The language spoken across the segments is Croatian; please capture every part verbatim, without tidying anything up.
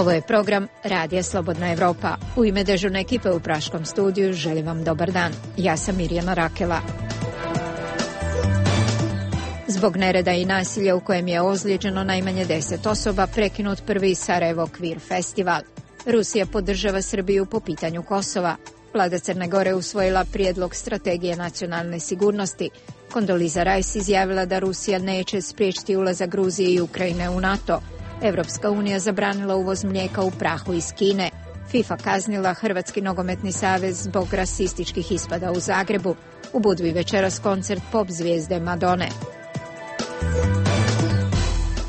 Ovo je program Radija Slobodna Evropa. U ime dežurne ekipe u Praškom studiju želim vam dobar dan. Ja sam Mirjana Rakela. Zbog nereda i nasilja u kojem je ozlijeđeno najmanje deset osoba, prekinut prvi Sarajevo Queer festival. Rusija podržava Srbiju po pitanju Kosova. Vlada Crne Gore usvojila prijedlog strategije nacionalne sigurnosti. Kondoliza Rajs izjavila da Rusija neće spriječiti ulazak Gruzije i Ukrajine u NATO. Evropska unija zabranila uvoz mlijeka u prahu iz Kine. FIFA kaznila Hrvatski nogometni savez zbog rasističkih ispada u Zagrebu. U Budvi večeras koncert pop zvijezde Madone.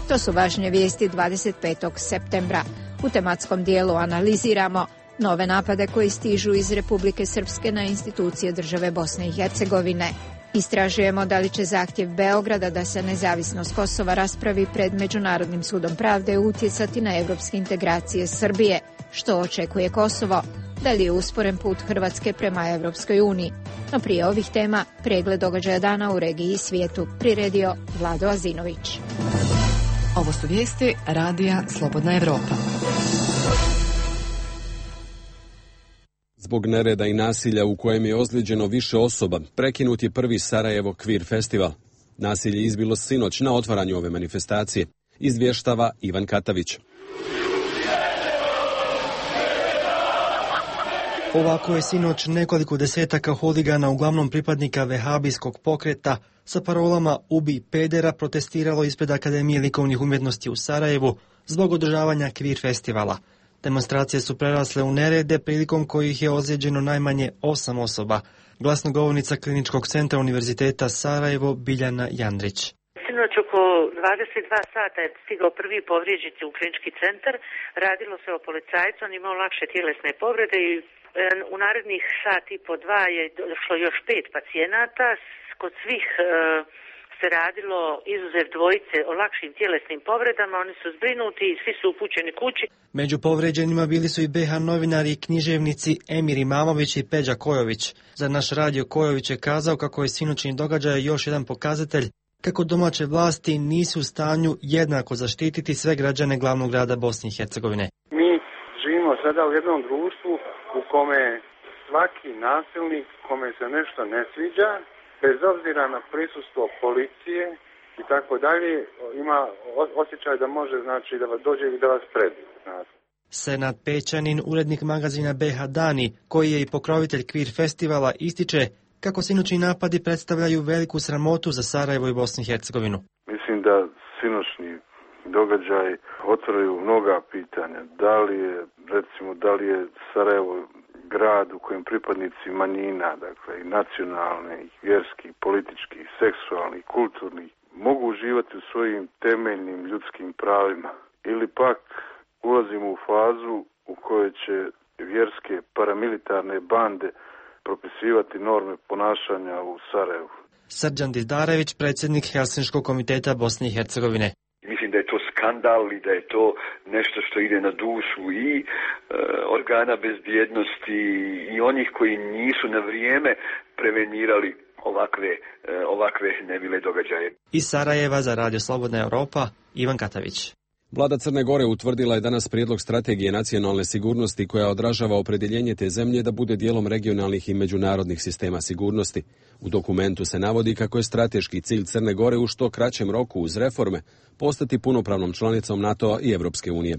To su važnije vijesti dvadeset petog septembra. U tematskom dijelu analiziramo nove napade koji stižu iz Republike Srpske na institucije države Bosne i Hercegovine. Istražujemo da li će zahtjev Beograda da se nezavisnost Kosova raspravi pred Međunarodnim sudom pravde utjecati na evropske integracije Srbije. Što očekuje Kosovo? Da li je usporen put Hrvatske prema Evropskoj uniji? No prije ovih tema, pregled događaja dana u regiji i svijetu, priredio Vlado Azinović. Ovo su vijesti Radija Slobodna Evropa. Zbog nereda i nasilja u kojem je ozlijeđeno više osoba, prekinut je prvi Sarajevo Queer festival. Nasilje izbilo sinoć na otvaranju ove manifestacije, izvještava Ivan Katavić. Ovako je sinoć nekoliko desetaka huligana, uglavnom pripadnika vehabijskog pokreta, sa parolama "Ubi pedera" protestiralo ispred Akademije likovnih umjetnosti u Sarajevu zbog održavanja Queer festivala. Demonstracije su prerasle u nerede, prilikom kojih je ozlijeđeno najmanje osam osoba. Glasnogovornica Kliničkog centra Univerziteta Sarajevo Biljana Jandrić. Sinoć oko dvadeset dva sata je stigao prvi povrijeđeni u klinički centar. Radilo se o policajcu, on imao lakše tjelesne povrede i u narednih sat i po dva je došlo još pet pacijenata. Kod svih e, se radilo, izuzev dvojice, o lakšim tjelesnim povredama. Oni su zbrinuti i svi su upućeni kući. Među povrijeđenima bili su i be ha novinari i književnici Emir Imamović i Peđa Kojović. Za naš radio Kojović je kazao kako je sinoćni događaj još jedan pokazatelj kako domaće vlasti nisu u stanju jednako zaštititi sve građane glavnog grada Bosne i Hercegovine. Mi živimo sada u jednom društvu u kome svaki nasilnik kome se nešto ne sviđa, bez obzira na prisustvo policije i tako dalje, ima osjećaj da može, znači, da vas dođe i da vas prebije. Senad Pećanin, urednik magazina be ha Dani, koji je i pokrovitelj Queer festivala, ističe kako sinoćni napadi predstavljaju veliku sramotu za Sarajevo i Bosnu i Hercegovinu. Mislim da sinoćni događaj otvaraju mnoga pitanja. Da li je, recimo, da li je Sarajevo grad u kojem pripadnici manjina, dakle i nacionalne, i vjerskih, političkih, seksualnih, kulturnih, mogu uživati u svojim temeljnim ljudskim pravima. Ili pak ulazimo u fazu u kojoj će vjerske paramilitarne bande propisivati norme ponašanja u Sarajevu. Srđan Dizdarević, predsjednik Helsinškog komiteta Bosne i Hercegovine. Mislim da je to skandal i da je to nešto što ide na dušu i e, organa bezbjednosti i onih koji nisu na vrijeme prevenirali ovakve, e, ovakve nemile događaje. Iz Sarajeva za Radio Slobodna Evropa, Ivan Katavić. Vlada Crne Gore utvrdila je danas prijedlog strategije nacionalne sigurnosti koja odražava opredjeljenje te zemlje da bude dijelom regionalnih i međunarodnih sistema sigurnosti. U dokumentu se navodi kako je strateški cilj Crne Gore u što kraćem roku uz reforme postati punopravnom članicom NATO-a i Evropske unije.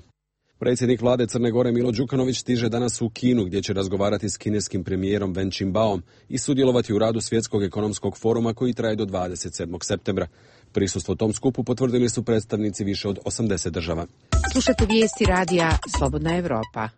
Predsjednik vlade Crne Gore Milo Đukanović stiže danas u Kinu gdje će razgovarati s kineskim premijerom Wen Jintao i sudjelovati u radu Svjetskog ekonomskog foruma koji traje do dvadeset sedmog septembra. Prisustvo tom skupu potvrdili su predstavnici više od osamdeset država. Slušate vijesti Radija Slobodna Evropa.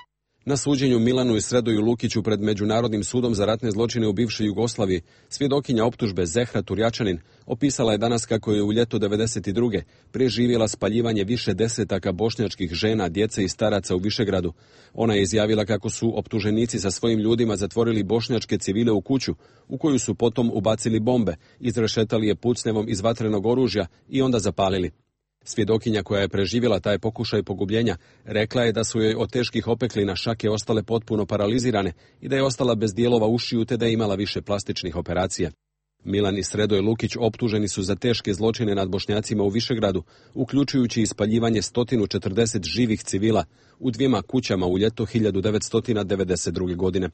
Na suđenju Milanu i Sredoju Lukiću pred Međunarodnim sudom za ratne zločine u bivšoj Jugoslaviji, svjedokinja optužbe Zehra Turjačanin opisala je danas kako je u ljeto devedeset druge preživjela spaljivanje više desetaka bošnjačkih žena, djece i staraca u Višegradu. Ona je izjavila kako su optuženici sa svojim ljudima zatvorili bošnjačke civile u kuću, u koju su potom ubacili bombe, izrešetali je pucnjevom iz vatrenog oružja i onda zapalili. Svjedokinja koja je preživjela taj pokušaj pogubljenja rekla je da su joj od teških opeklina šake ostale potpuno paralizirane i da je ostala bez dijelova ušiju te da je imala više plastičnih operacija. Milan i Sredoj Lukić optuženi su za teške zločine nad Bošnjacima u Višegradu, uključujući ispaljivanje sto četrdeset živih civila u dvijema kućama u ljeto hiljadu devetsto devedeset druge. godine.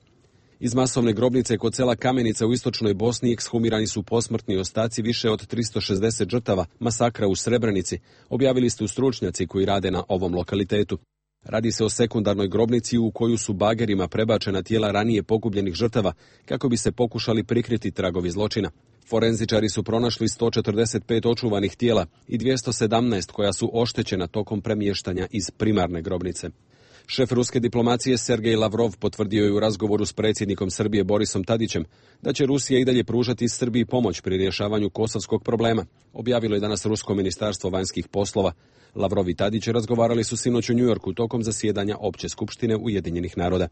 Iz masovne grobnice kod sela Kamenica u istočnoj Bosni ekshumirani su posmrtni ostaci više od tristo šezdeset žrtava masakra u Srebrenici, objavili su stručnjaci koji rade na ovom lokalitetu. Radi se o sekundarnoj grobnici u koju su bagerima prebačena tijela ranije pogubljenih žrtava kako bi se pokušali prikriti tragovi zločina. Forenzičari su pronašli sto četrdeset pet očuvanih tijela i dvjesto sedamnaest koja su oštećena tokom premještanja iz primarne grobnice. Šef ruske diplomacije Sergej Lavrov potvrdio je u razgovoru s predsjednikom Srbije Borisom Tadićem da će Rusija i dalje pružati Srbiji pomoć pri rješavanju kosovskog problema, objavilo je danas Rusko ministarstvo vanjskih poslova. Lavrov i Tadić razgovarali su sinoć u Njujorku tokom zasjedanja Opće skupštine Ujedinjenih naroda.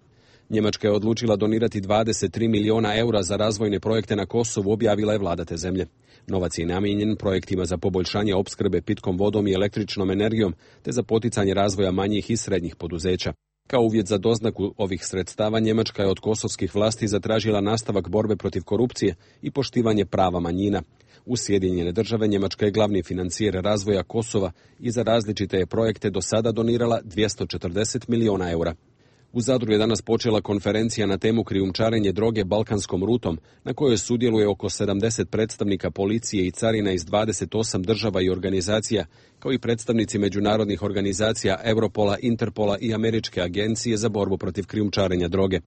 Njemačka je odlučila donirati dvadeset tri milijuna eura za razvojne projekte na Kosovu, objavila je vlada te zemlje. Novac je namijenjen projektima za poboljšanje opskrbe pitkom vodom i električnom energijom, te za poticanje razvoja manjih i srednjih poduzeća. Kao uvjet za doznaku ovih sredstava, Njemačka je od kosovskih vlasti zatražila nastavak borbe protiv korupcije i poštivanje prava manjina. U Sjedinjene države Njemačka je glavni financijer razvoja Kosova i za različite je projekte do sada donirala dvjesto četrdeset milijuna eura. U Zadru je danas počela konferencija na temu krijumčarenje droge balkanskom rutom, na kojoj sudjeluje oko sedamdeset predstavnika policije i carina iz dvadeset osam država i organizacija, kao i predstavnici međunarodnih organizacija Europola, Interpola i Američke agencije za borbu protiv krijumčarenja droge.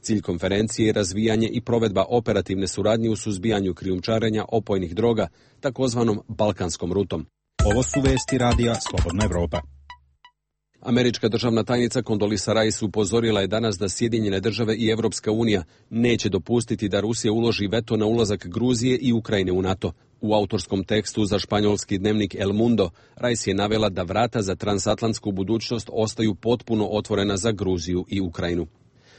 Cilj konferencije je razvijanje i provedba operativne suradnje u suzbijanju krijumčarenja opojnih droga, takozvanom balkanskom rutom. Ovo su vesti radija Slobodna Evropa. Američka državna tajnica Condoleezza Rice upozorila je danas da Sjedinjene države i Europska unija neće dopustiti da Rusija uloži veto na ulazak Gruzije i Ukrajine u NATO. U autorskom tekstu za španjolski dnevnik El Mundo, Rice je navela da vrata za transatlantsku budućnost ostaju potpuno otvorena za Gruziju i Ukrajinu.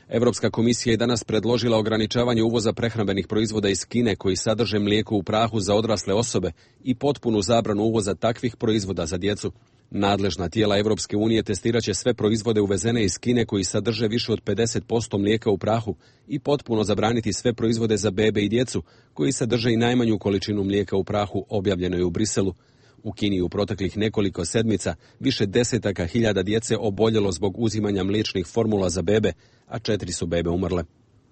Europska komisija je danas predložila ograničavanje uvoza prehrambenih proizvoda iz Kine koji sadrže mlijeko u prahu za odrasle osobe i potpunu zabranu uvoza takvih proizvoda za djecu. Nadležna tijela Europske unije testirat će sve proizvode uvezene iz Kine koji sadrže više od pedeset posto mlijeka u prahu i potpuno zabraniti sve proizvode za bebe i djecu koji sadrže i najmanju količinu mlijeka u prahu, objavljeno je u Briselu. U Kini u proteklih nekoliko sedmica više desetaka hiljada djece oboljelo zbog uzimanja mliječnih formula za bebe, a četiri su bebe umrle.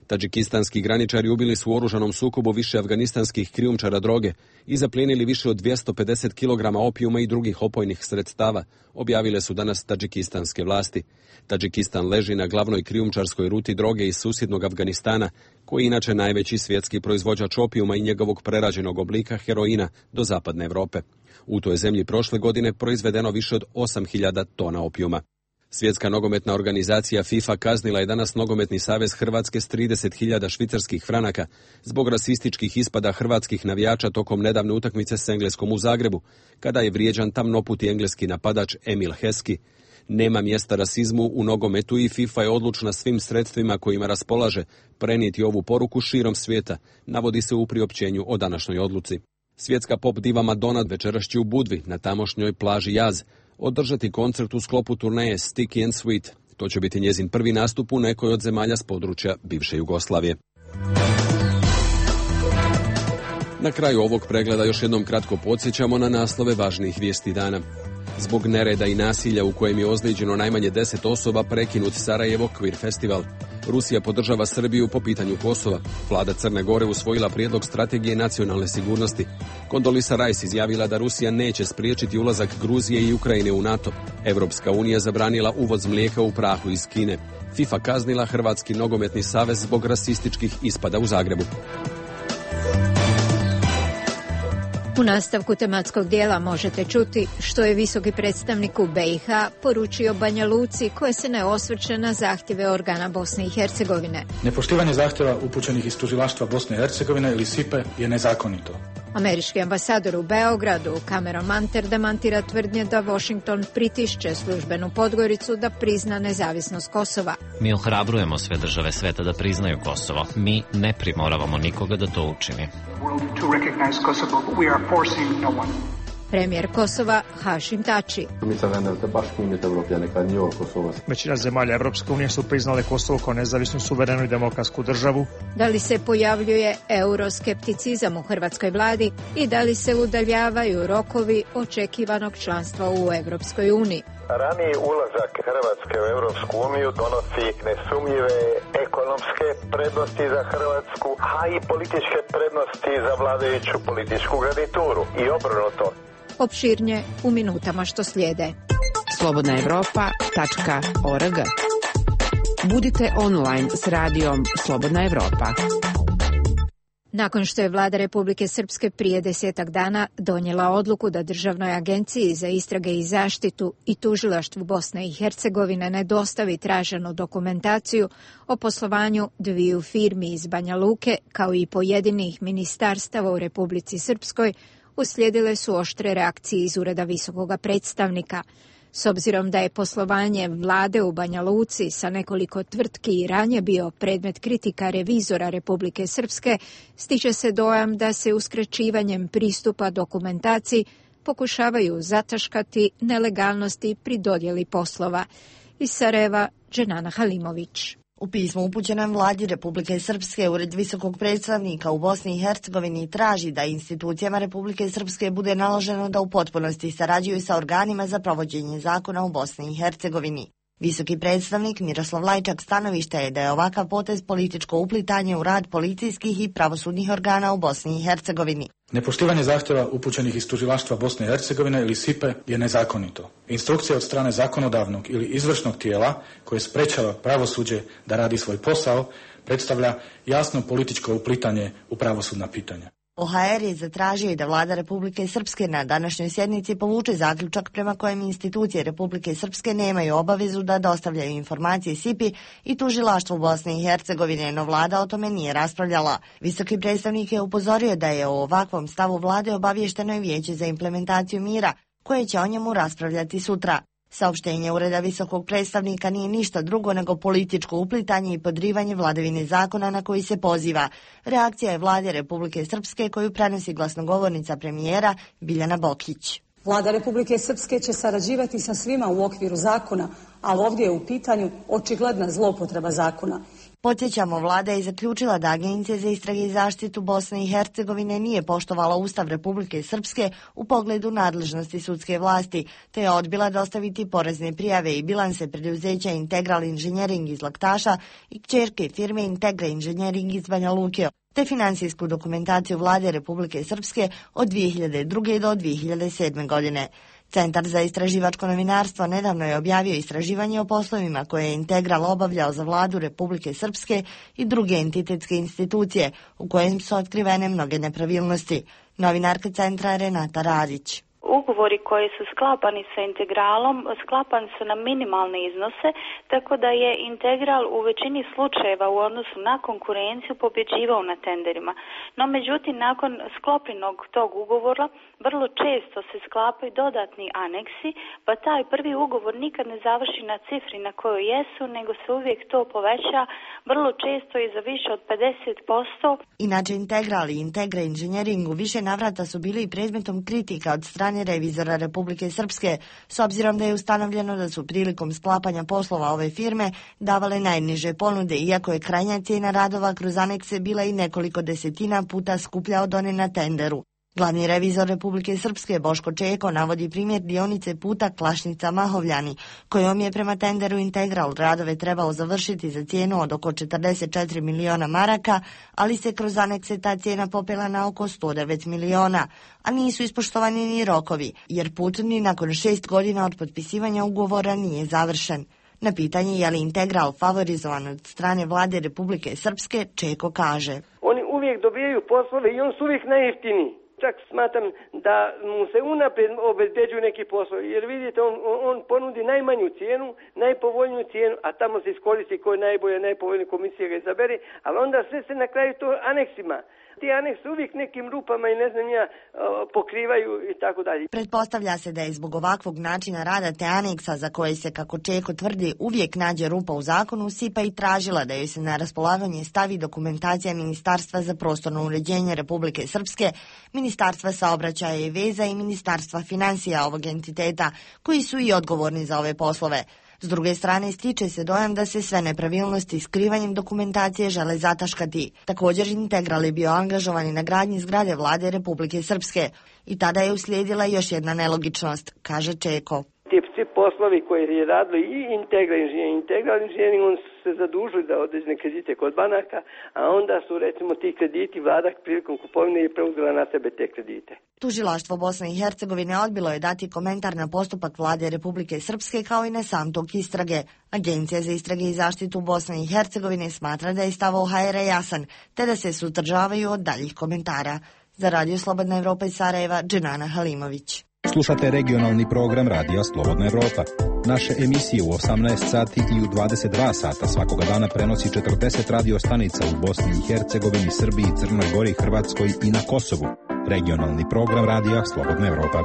Tadžikistanski graničari ubili su u oružanom sukobu više afganistanskih krijumčara droge i zaplijenili više od dvjesto pedeset kilograma opijuma i drugih opojnih sredstava, objavile su danas tadžikistanske vlasti. Tadžikistan leži na glavnoj krijumčarskoj ruti droge iz susjednog Afganistana, koji je inače najveći svjetski proizvođač opijuma i njegovog prerađenog oblika heroina do zapadne Europe. U toj zemlji prošle godine proizvedeno više od osam hiljada tona opijuma. Svjetska nogometna organizacija FIFA kaznila je danas Nogometni savez Hrvatske s trideset hiljada švicarskih franaka zbog rasističkih ispada hrvatskih navijača tokom nedavne utakmice s Engleskom u Zagrebu, kada je vrijeđan tamnoputi engleski napadač Emil Heskey. Nema mjesta rasizmu u nogometu i FIFA je odlučna svim sredstvima kojima raspolaže prenijeti ovu poruku širom svijeta, navodi se u priopćenju o današnjoj odluci. Svjetska pop diva Madonna večeras će u Budvi, na tamošnjoj plaži Jaz, održati koncert u sklopu turneje Sticky and Sweet. To će biti njezin prvi nastup u nekoj od zemalja s područja bivše Jugoslavije. Na kraju ovog pregleda još jednom kratko podsjećamo na naslove važnijih vijesti dana. Zbog nereda i nasilja u kojem je ozlijeđeno najmanje deset osoba prekinut Sarajevo Queer Festival. Rusija podržava Srbiju po pitanju Kosova. Vlada Crne Gore usvojila prijedlog strategije nacionalne sigurnosti. Condoleezza Rice izjavila da Rusija neće spriječiti ulazak Gruzije i Ukrajine u NATO. Europska unija zabranila uvoz mlijeka u prahu iz Kine. FIFA kaznila Hrvatski nogometni savez zbog rasističkih ispada u Zagrebu. U nastavku tematskog dijela možete čuti što je visoki predstavnik u B i H poručio Banja Luci koje se ne osvrće na zahtjeve organa Bosne i Hercegovine. Nepoštivanje zahtjeva upućenih iz tužilaštva Bosne i Hercegovine ili S I P-e je nezakonito. Američki ambasador u Beogradu, Cameron Manter, demantira tvrdnje da Washington pritišće službenu Podgoricu da prizna nezavisnost Kosova. Mi ohrabrujemo sve države sveta da priznaju Kosovo. Mi ne primoravamo nikoga da to učini. Premijer Kosova Hašim Tači. Većina zemalja Evropske unije su priznale Kosovo kao nezavisnu, suverenu i demokratsku državu. Da li se pojavljuje euroskepticizam u hrvatskoj vladi i da li se udaljavaju rokovi očekivanog članstva u Evropskoj uniji? Raniji ulazak Hrvatske u Europsku uniju donosi nesumnjive ekonomske prednosti za Hrvatsku, a i političke prednosti za vladajuću političku garnituru i obrnuto. Opširnije u minutama što slijede. slobodna evropa tačka org. Budite online s radijom Slobodna Evropa. Nakon što je vlada Republike Srpske prije desetak dana donijela odluku da Državnoj agenciji za istrage i zaštitu i tužilaštvu Bosne i Hercegovine ne dostavi traženu dokumentaciju o poslovanju dviju firmi iz Banja Luke, kao i pojedinih ministarstava u Republici Srpskoj, uslijedile su oštre reakcije iz Ureda visokoga predstavnika. S obzirom da je poslovanje vlade u Banja Luci sa nekoliko tvrtki i ranije bio predmet kritika revizora Republike Srpske, stiče se dojam da se uskraćivanjem pristupa dokumentaciji pokušavaju zataškati nelegalnosti pri dodjeli poslova. Iz Sarajeva, Dženana Halimović. U pismu upućenom vladi Republike Srpske, Ured visokog predstavnika u Bosni i Hercegovini traži da institucijama Republike Srpske bude naloženo da u potpunosti sarađuju sa organima za provođenje zakona u Bosni i Hercegovini. Visoki predstavnik Miroslav Lajčak stanovišta je da je ovakav potez političko uplitanje u rad policijskih i pravosudnih organa u Bosni i Hercegovini. Nepoštivanje zahtjeva upućenih iz tužilaštva Bosne i Hercegovine ili S I P E je nezakonito. Instrukcija od strane zakonodavnog ili izvršnog tijela koje sprečava pravosuđe da radi svoj posao predstavlja jasno političko uplitanje u pravosudna pitanja. O H R je zatražio i da vlada Republike Srpske na današnjoj sjednici povuče zaključak prema kojem institucije Republike Srpske nemaju obavezu da dostavljaju informacije S I P I i tužilaštvu Bosne i Hercegovine, no vlada o tome nije raspravljala. Visoki predstavnik je upozorio da je o ovakvom stavu vlade obavješteno i Vijeće za implementaciju mira, koje će o njemu raspravljati sutra. Saopštenje Ureda visokog predstavnika nije ništa drugo nego političko uplitanje i podrivanje vladavine zakona na koji se poziva. Reakcija je vlade Republike Srpske koju prenosi glasnogovornica premijera Biljana Bokić. Vlada Republike Srpske će sarađivati sa svima u okviru zakona, ali ovdje je u pitanju očigledna zloupotreba zakona. Podsjećamo, vlada je zaključila da Agencija za istrage i zaštitu Bosne i Hercegovine nije poštovala Ustav Republike Srpske u pogledu nadležnosti sudske vlasti, te je odbila dostaviti porezne prijave i bilanse preduzeća Integral Inženjering iz Laktaša i kćerke firme Integra Inženjering iz Banja Luke, te finansijsku dokumentaciju vlade Republike Srpske od dvije hiljade druge do dvije hiljade sedme godine. Centar za istraživačko novinarstvo nedavno je objavio istraživanje o poslovima koje je Integral obavljao za vladu Republike Srpske i druge entitetske institucije, u kojem su otkrivene mnoge nepravilnosti. Novinarka centra Renata Radić. Ugovori koji su sklapani sa Integralom sklapani su na minimalne iznose, tako da je Integral u većini slučajeva u odnosu na konkurenciju pobjeđivao na tenderima. No međutim, nakon sklopljenog tog ugovora vrlo često se sklapaju dodatni aneksi, pa taj prvi ugovor nikad ne završi na cifri na kojoj jesu, nego se uvijek to poveća vrlo često i za više od pedeset posto. Inače, Integral i Integra Inženjering u više navrata su bili i predmetom kritika od strane revizora Republike Srpske, s obzirom da je ustanovljeno da su prilikom sklapanja poslova ove firme davale najniže ponude, iako je krajnja cijena radova kroz anekse bila i nekoliko desetina puta skuplja od one na tenderu. Glavni revizor Republike Srpske Boško Čeko navodi primjer dionice puta Klašnica-Mahovljani, kojom je prema tenderu Integral radove trebao završiti za cijenu od oko četrdeset četiri miliona maraka, ali se kroz anekse ta cijena popela na oko sto devet miliona, a nisu ispoštovani ni rokovi, jer put ni nakon šest godina od potpisivanja ugovora nije završen. Na pitanje je li Integral favorizovan od strane vlade Republike Srpske, Čeko kaže: Oni uvijek dobijaju poslove i on su uvijek najjeftiniji. Čak smatram da mu se unaprijed obezbeđuju neki poslovi, jer vidite, on, on ponudi najmanju cijenu, najpovoljniju cijenu, a tamo se iskoristi koji najbolje, najpovoljnije komisije ga izabere, ali onda sve se na kraju to aneksima. Ti aneks uvijek nekim rupama i ne znam ja pokrivaju i tako dalje. Pretpostavlja se da je zbog ovakvog načina rada te aneksa, za koji se, kako Čeko tvrdi, uvijek nađe rupa u zakonu, SIPA i tražila da joj se na raspolaganje stavi dokumentacija Ministarstva za prostorno uređenje Republike Srpske, Ministarstva saobraćaja i veza i Ministarstva financija ovog entiteta, koji su i odgovorni za ove poslove. S druge strane, stiče se dojam da se sve nepravilnosti skrivanjem dokumentacije žele zataškati. Također, Integral je bio angažovan na gradnji zgrade vlade Republike Srpske i tada je uslijedila još jedna nelogičnost, kaže Čeko. Ti svi poslovi koji je radili i Integral inženjering, Integral inženjering, on su se zadužili da određene kredite kod banaka, a onda su recimo ti krediti vlada prilikom kupovine je preuzela na sebe te kredite. Tužilaštvo Bosne i Hercegovine odbilo je dati komentar na postupak vlade Republike Srpske kao i na sam tok istrage. Agencija za istrage i zaštitu Bosne i Hercegovine smatra da je stav O H R jasan, te da se suzdržavaju od daljih komentara. Za Radio Slobodna Evropa iz Sarajeva, Dženana Halimović. Slušate regionalni program Radija Slobodna Evropa. Naše emisije u osamnaest sati i u dvadeset dva sata svakoga dana prenosi četrdeset radio stanica u Bosni i Hercegovini, Srbiji, Crnoj Gori, Hrvatskoj i na Kosovu. Regionalni program Radija Slobodna Evropa.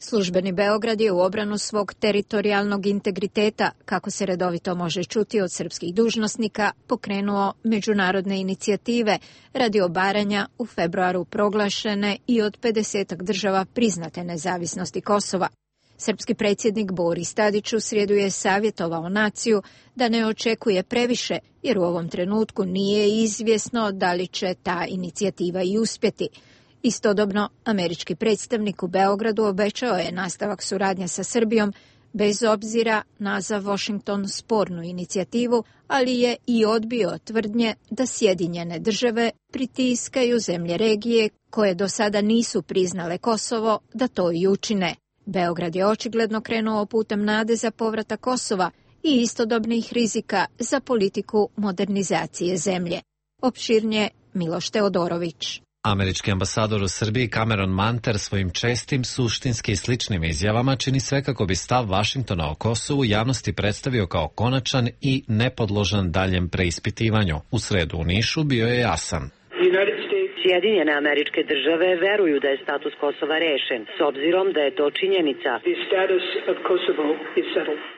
Službeni Beograd je u obranu svog teritorijalnog integriteta, kako se redovito može čuti od srpskih dužnosnika, pokrenuo međunarodne inicijative radi obaranja u februaru proglašene i od pedesetak država priznate nezavisnosti Kosova. Srpski predsjednik Boris Tadić u srijedu je savjetovao naciju da ne očekuje previše, jer u ovom trenutku nije izvjesno da li će ta inicijativa i uspjeti. Istodobno, američki predstavnik u Beogradu obećao je nastavak suradnje sa Srbijom bez obzira na za Washington spornu inicijativu, ali je i odbio tvrdnje da Sjedinjene države pritiskaju zemlje regije koje do sada nisu priznale Kosovo da to i učine. Beograd je očigledno krenuo putem nade za povratak Kosova i istodobnih rizika za politiku modernizacije zemlje. Opširnije Miloš Teodorović. Američki ambasador u Srbiji Cameron Manter svojim čestim, suštinski i sličnim izjavama čini sve kako bi stav Vašingtona o Kosovu javnosti predstavio kao konačan i nepodložan daljem preispitivanju. U sredu u Nišu bio je jasan. Sjedinjene Američke države veruju da je status Kosova rešen, s obzirom da je to činjenica.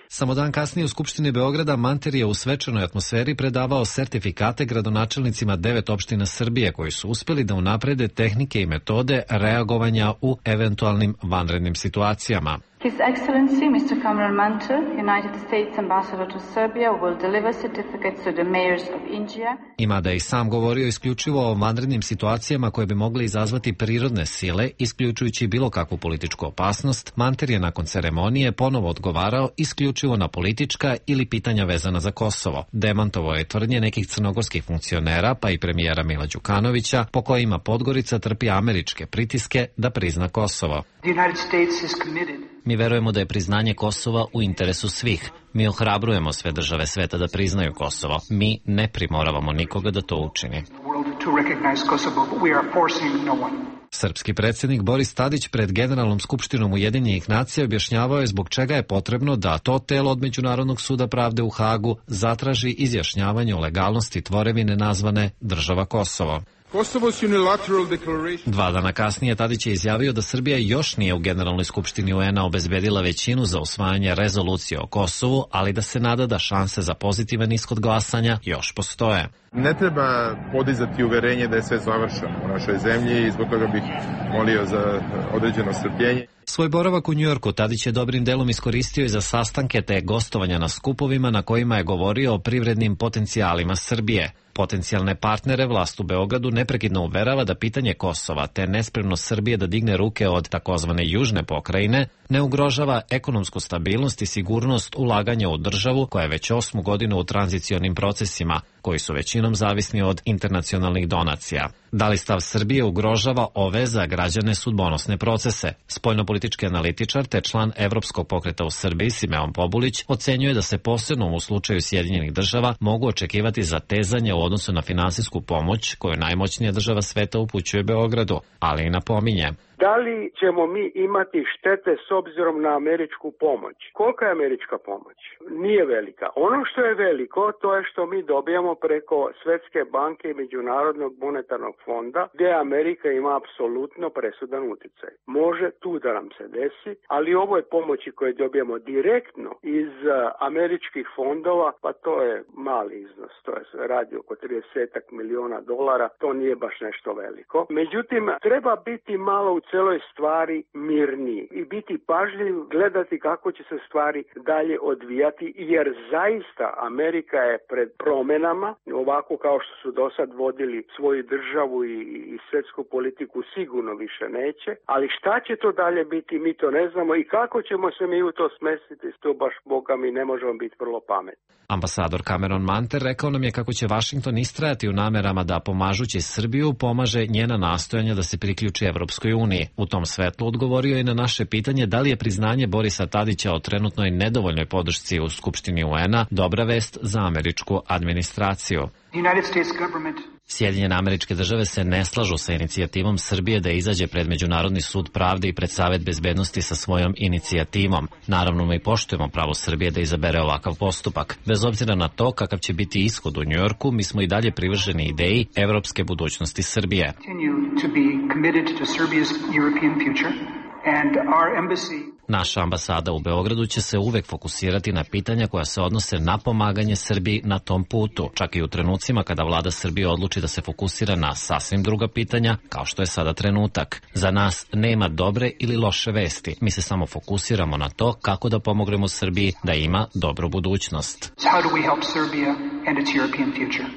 Samo dan kasnije u Skupštini Beograda Manter je u svečanoj atmosferi predavao sertifikate gradonačelnicima devet opština Srbije koji su uspjeli da unaprede tehnike i metode reagovanja u eventualnim vanrednim situacijama. His Excellency mister Cameron Manter, United States Ambassador to Serbia, will deliver certificates to the mayors of Inđija. Ima da je i sam govorio isključivo o vanrednim situacijama koje bi mogle izazvati prirodne sile, isključujući bilo kakvu političku opasnost. Manter je nakon ceremonije ponovo odgovarao isključivo na politička ili pitanja vezana za Kosovo. Demantovao je tvrdnje nekih crnogorskih funkcionera, pa i premijera Mila Đukanovića, po kojima Podgorica trpi američke pritiske da prizna Kosovo. The United States is committed. Mi verujemo da je priznanje Kosova u interesu svih. Mi ohrabrujemo sve države sveta da priznaju Kosovo. Mi ne primoravamo nikoga da to učini. Srpski predsjednik Boris Tadić pred Generalnom skupštinom Ujedinjenih nacija objašnjavao je zbog čega je potrebno da to telo od Međunarodnog suda pravde u Hagu zatraži izjašnjavanje o legalnosti tvorevine nazvane Država Kosovo. Dva dana kasnije Tadić je izjavio da Srbija još nije u Generalnoj skupštini U N A obezbedila većinu za usvajanje rezolucije o Kosovu, ali da se nada da šanse za pozitivan ishod glasanja još postoje. Ne treba podizati uverenje da je sve završeno u našoj zemlji i zbog toga bih molio za određeno strpljenje. Svoj boravak u Njujorku Tadić je dobrim delom iskoristio i za sastanke te gostovanja na skupovima na kojima je govorio o privrednim potencijalima Srbije. Potencijalne partnere vlast u Beogradu neprekidno uverava da pitanje Kosova te nespremnost Srbije da digne ruke od takozvane južne pokrajine ne ugrožava ekonomsku stabilnost i sigurnost ulaganja u državu koja je već osmu godinu u tranzicionim procesima, koji su većinom zavisni od internacionalnih donacija. Da li stav Srbije ugrožava ove za građane sudbonosne procese? Spoljnopolitički analitičar te član Evropskog pokreta u Srbiji Simeon Pobulić ocenjuje da se posebno u slučaju Sjedinjenih država mogu očekivati zatezanje u odnosu na finansijsku pomoć koju najmoćnija država sveta upućuje Beogradu, ali i napominje. Da li ćemo mi imati štete s obzirom na američku pomoć? Kolika je američka pomoć? Nije velika. Ono što je veliko, to je što mi dobijamo preko Svjetske banke i Međunarodnog monetarnog fonda, gdje Amerika ima apsolutno presudan utjecaj. Može tu da nam se desi, ali ovo je pomoći koje dobijamo direktno iz američkih fondova, pa to je mali iznos, to je radi oko trideset milijuna dolara, to nije baš nešto veliko. Međutim, treba biti malo u celoj stvari mirniji i biti pažljiv, gledati kako će se stvari dalje odvijati, jer zaista Amerika je pred promjenama, ovako kao što su do sad vodili svoju državu i, i svjetsku politiku sigurno više neće, ali šta će to dalje biti, mi to ne znamo i kako ćemo se mi u to smestiti, to baš Boga mi ne možemo biti vrlo pametni. Ambasador Cameron Manter rekao nam je kako će Vašington istrajati u namerama da pomažući Srbiju pomaže njena nastojanja da se priključi Evropskoj uniji. U tom svetlu odgovorio je na naše pitanje da li je priznanje Borisa Tadića o trenutnoj nedovoljnoj podršci u Skupštini U N-a dobra vest za američku administraciju. Sjedinjene Američke Države se ne slažu sa inicijativom Srbije da izađe pred Međunarodni sud pravde i pred Savet bezbednosti sa svojom inicijativom. Naravno, mi poštujemo pravo Srbije da izabere ovakav postupak. Bez obzira na to kakav će biti ishod u Njujorku, mi smo i dalje privrženi ideji evropske budućnosti Srbije. Naša ambasada u Beogradu će se uvek fokusirati na pitanja koja se odnose na pomaganje Srbiji na tom putu, čak i u trenucima kada vlada Srbije odluči da se fokusira na sasvim druga pitanja, kao što je sada trenutak. Za nas nema dobre ili loše vesti, mi se samo fokusiramo na to kako da pomognemo Srbiji da ima dobru budućnost.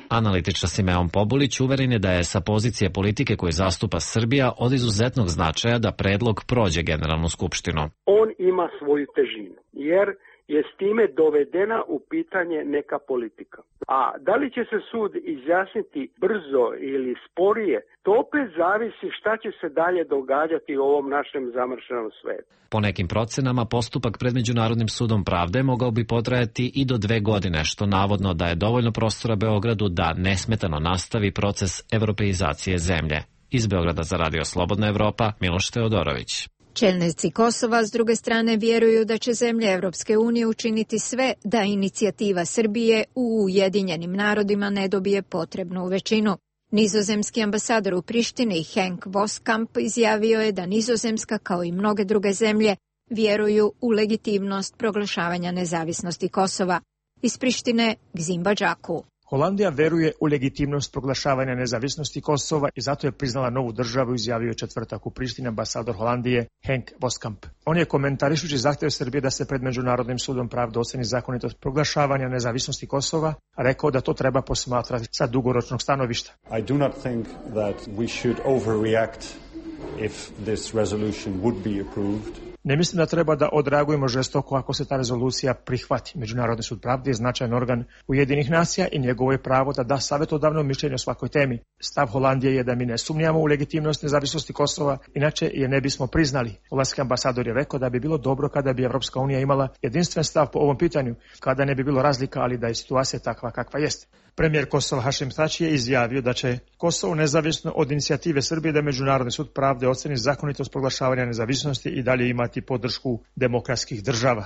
Analitičar Simeon Pobulić uveren je da je sa pozicije politike koju zastupa Srbija od izuzetnog značaja da predlog prođe Generalnu skupštinu. On ima svoju težinu, jer je s time dovedena u pitanje neka politika. A da li će se sud izjasniti brzo ili sporije, to opet zavisi šta će se dalje događati u ovom našem zamršenom svetu. Po nekim procenama, postupak pred Međunarodnim sudom pravde mogao bi potrajati i do dve godine, što navodno daje dovoljno prostora Beogradu da nesmetano nastavi proces evropeizacije zemlje. Iz Beograda za Radio Slobodna Evropa, Miloš Teodorović. Čelnici Kosova s druge strane vjeruju da će zemlje Evropske unije učiniti sve da inicijativa Srbije u Ujedinjenim narodima ne dobije potrebnu većinu. Nizozemski ambasador u Prištini Henk Voskamp izjavio je da Nizozemska, kao i mnoge druge zemlje, vjeruju u legitimnost proglašavanja nezavisnosti Kosova. Iz Prištine Gzim Badžaku. Holandija veruje u legitimnost proglašavanja nezavisnosti Kosova i zato je priznala novu državu, izjavio četvrtak u Prištini ambasador Holandije Henk Voskamp. On je komentarišući zahtjev Srbije da se pred Međunarodnim sudom pravde oceni zakonitost proglašavanja nezavisnosti Kosova, rekao da to treba posmatrati sa dugoročnog stanovišta. I do not think that we should overreact if this resolution would be approved. Ne mislim da treba da odreagujemo žestoko ako se ta rezolucija prihvati. Međunarodni sud pravde je značajan organ Ujedinjenih nacija i njegovo je pravo da da savjetodavno mišljenje o svakoj temi. Stav Holandije je da mi ne sumnjamo u legitimnost nezavisnosti Kosova, inače je ne bismo priznali. Holandski ambasador je rekao da bi bilo dobro kada bi Evropska unija imala jedinstven stav po ovom pitanju, kada ne bi bilo razlika, ali da je situacija takva kakva jeste. Premijer Kosova Hašim Tači je izjavio da će Kosovo nezavisno od inicijative Srbije da Međunarodni sud pravde oceni zakonitost proglašavanja nezavisnosti i dalje imati podršku demokratskih država.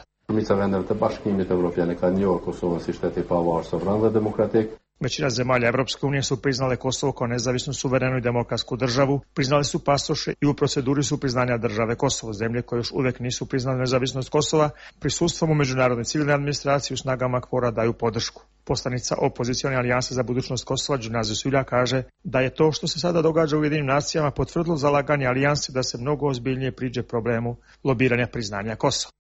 Većina zemalja Evropske unije su priznale Kosovo kao nezavisnu, suverenu i demokratsku državu, priznali su pasoše i u proceduri su priznanja države Kosovo. Zemlje koje još uvijek nisu priznale nezavisnost Kosova, prisustvom u međunarodnoj civilnoj administraciji u snagama KFOR-a daju podršku. Poslanica opozicione alijanse za budućnost Kosova Džunazi Sulja kaže da je to što se sada događa u Ujedinim nacijama potvrdilo zalaganje alijanse da se mnogo ozbiljnije priđe problemu lobiranja priznanja Kosova.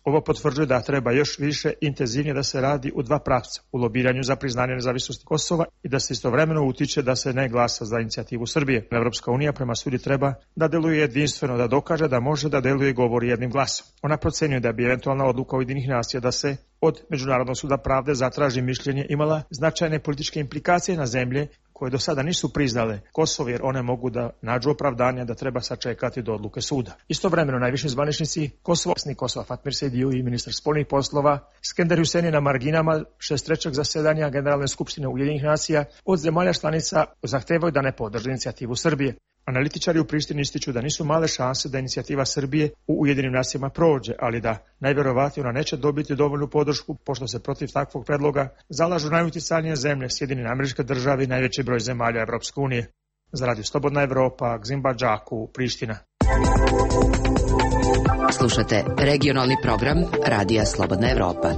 Ovo potvrđuje da treba još više intenzivnije da se radi u dva pravca, u lobiranju za priznanje nezavisnosti Kosova i da se istovremeno utiče da se ne glasa za inicijativu Srbije. Evropska unija prema sudi treba da deluje jedinstveno, da dokaže da može da deluje i govori jednim glasom. Ona procenjuje da bi eventualna odluka Ujedinjenih nacija da se od Međunarodnog suda pravde zatraži mišljenje imala značajne političke implikacije na zemlje koje do sada nisu priznale Kosovo jer one mogu da nađu opravdanja da treba sačekati do odluke suda. Istovremeno najviši zvaničnici Kosova, Kosova Fatmir Sejdiu i ministar spoljnih poslova Skender Hussein na marginama šezdeset trećeg zasedanja Generalne skupštine Ujedinjenih nacija od zemalja članica zahtevaju da ne podrže inicijativu Srbije. Analitičari u Prištini ističu da nisu male šanse da inicijativa Srbije u Ujedinjenim nacijama prođe, ali da najverovatnije ona neće dobiti dovoljnu podršku, pošto se protiv takvog predloga zalažu najuticajnije zemlje, Sjedinjene Američke Države i najveći broj zemalja Evropske unije. Za Radio Slobodna Evropa, Gzimba Džaku, Priština. Slušate regionalni program Radija Slobodna Evropa.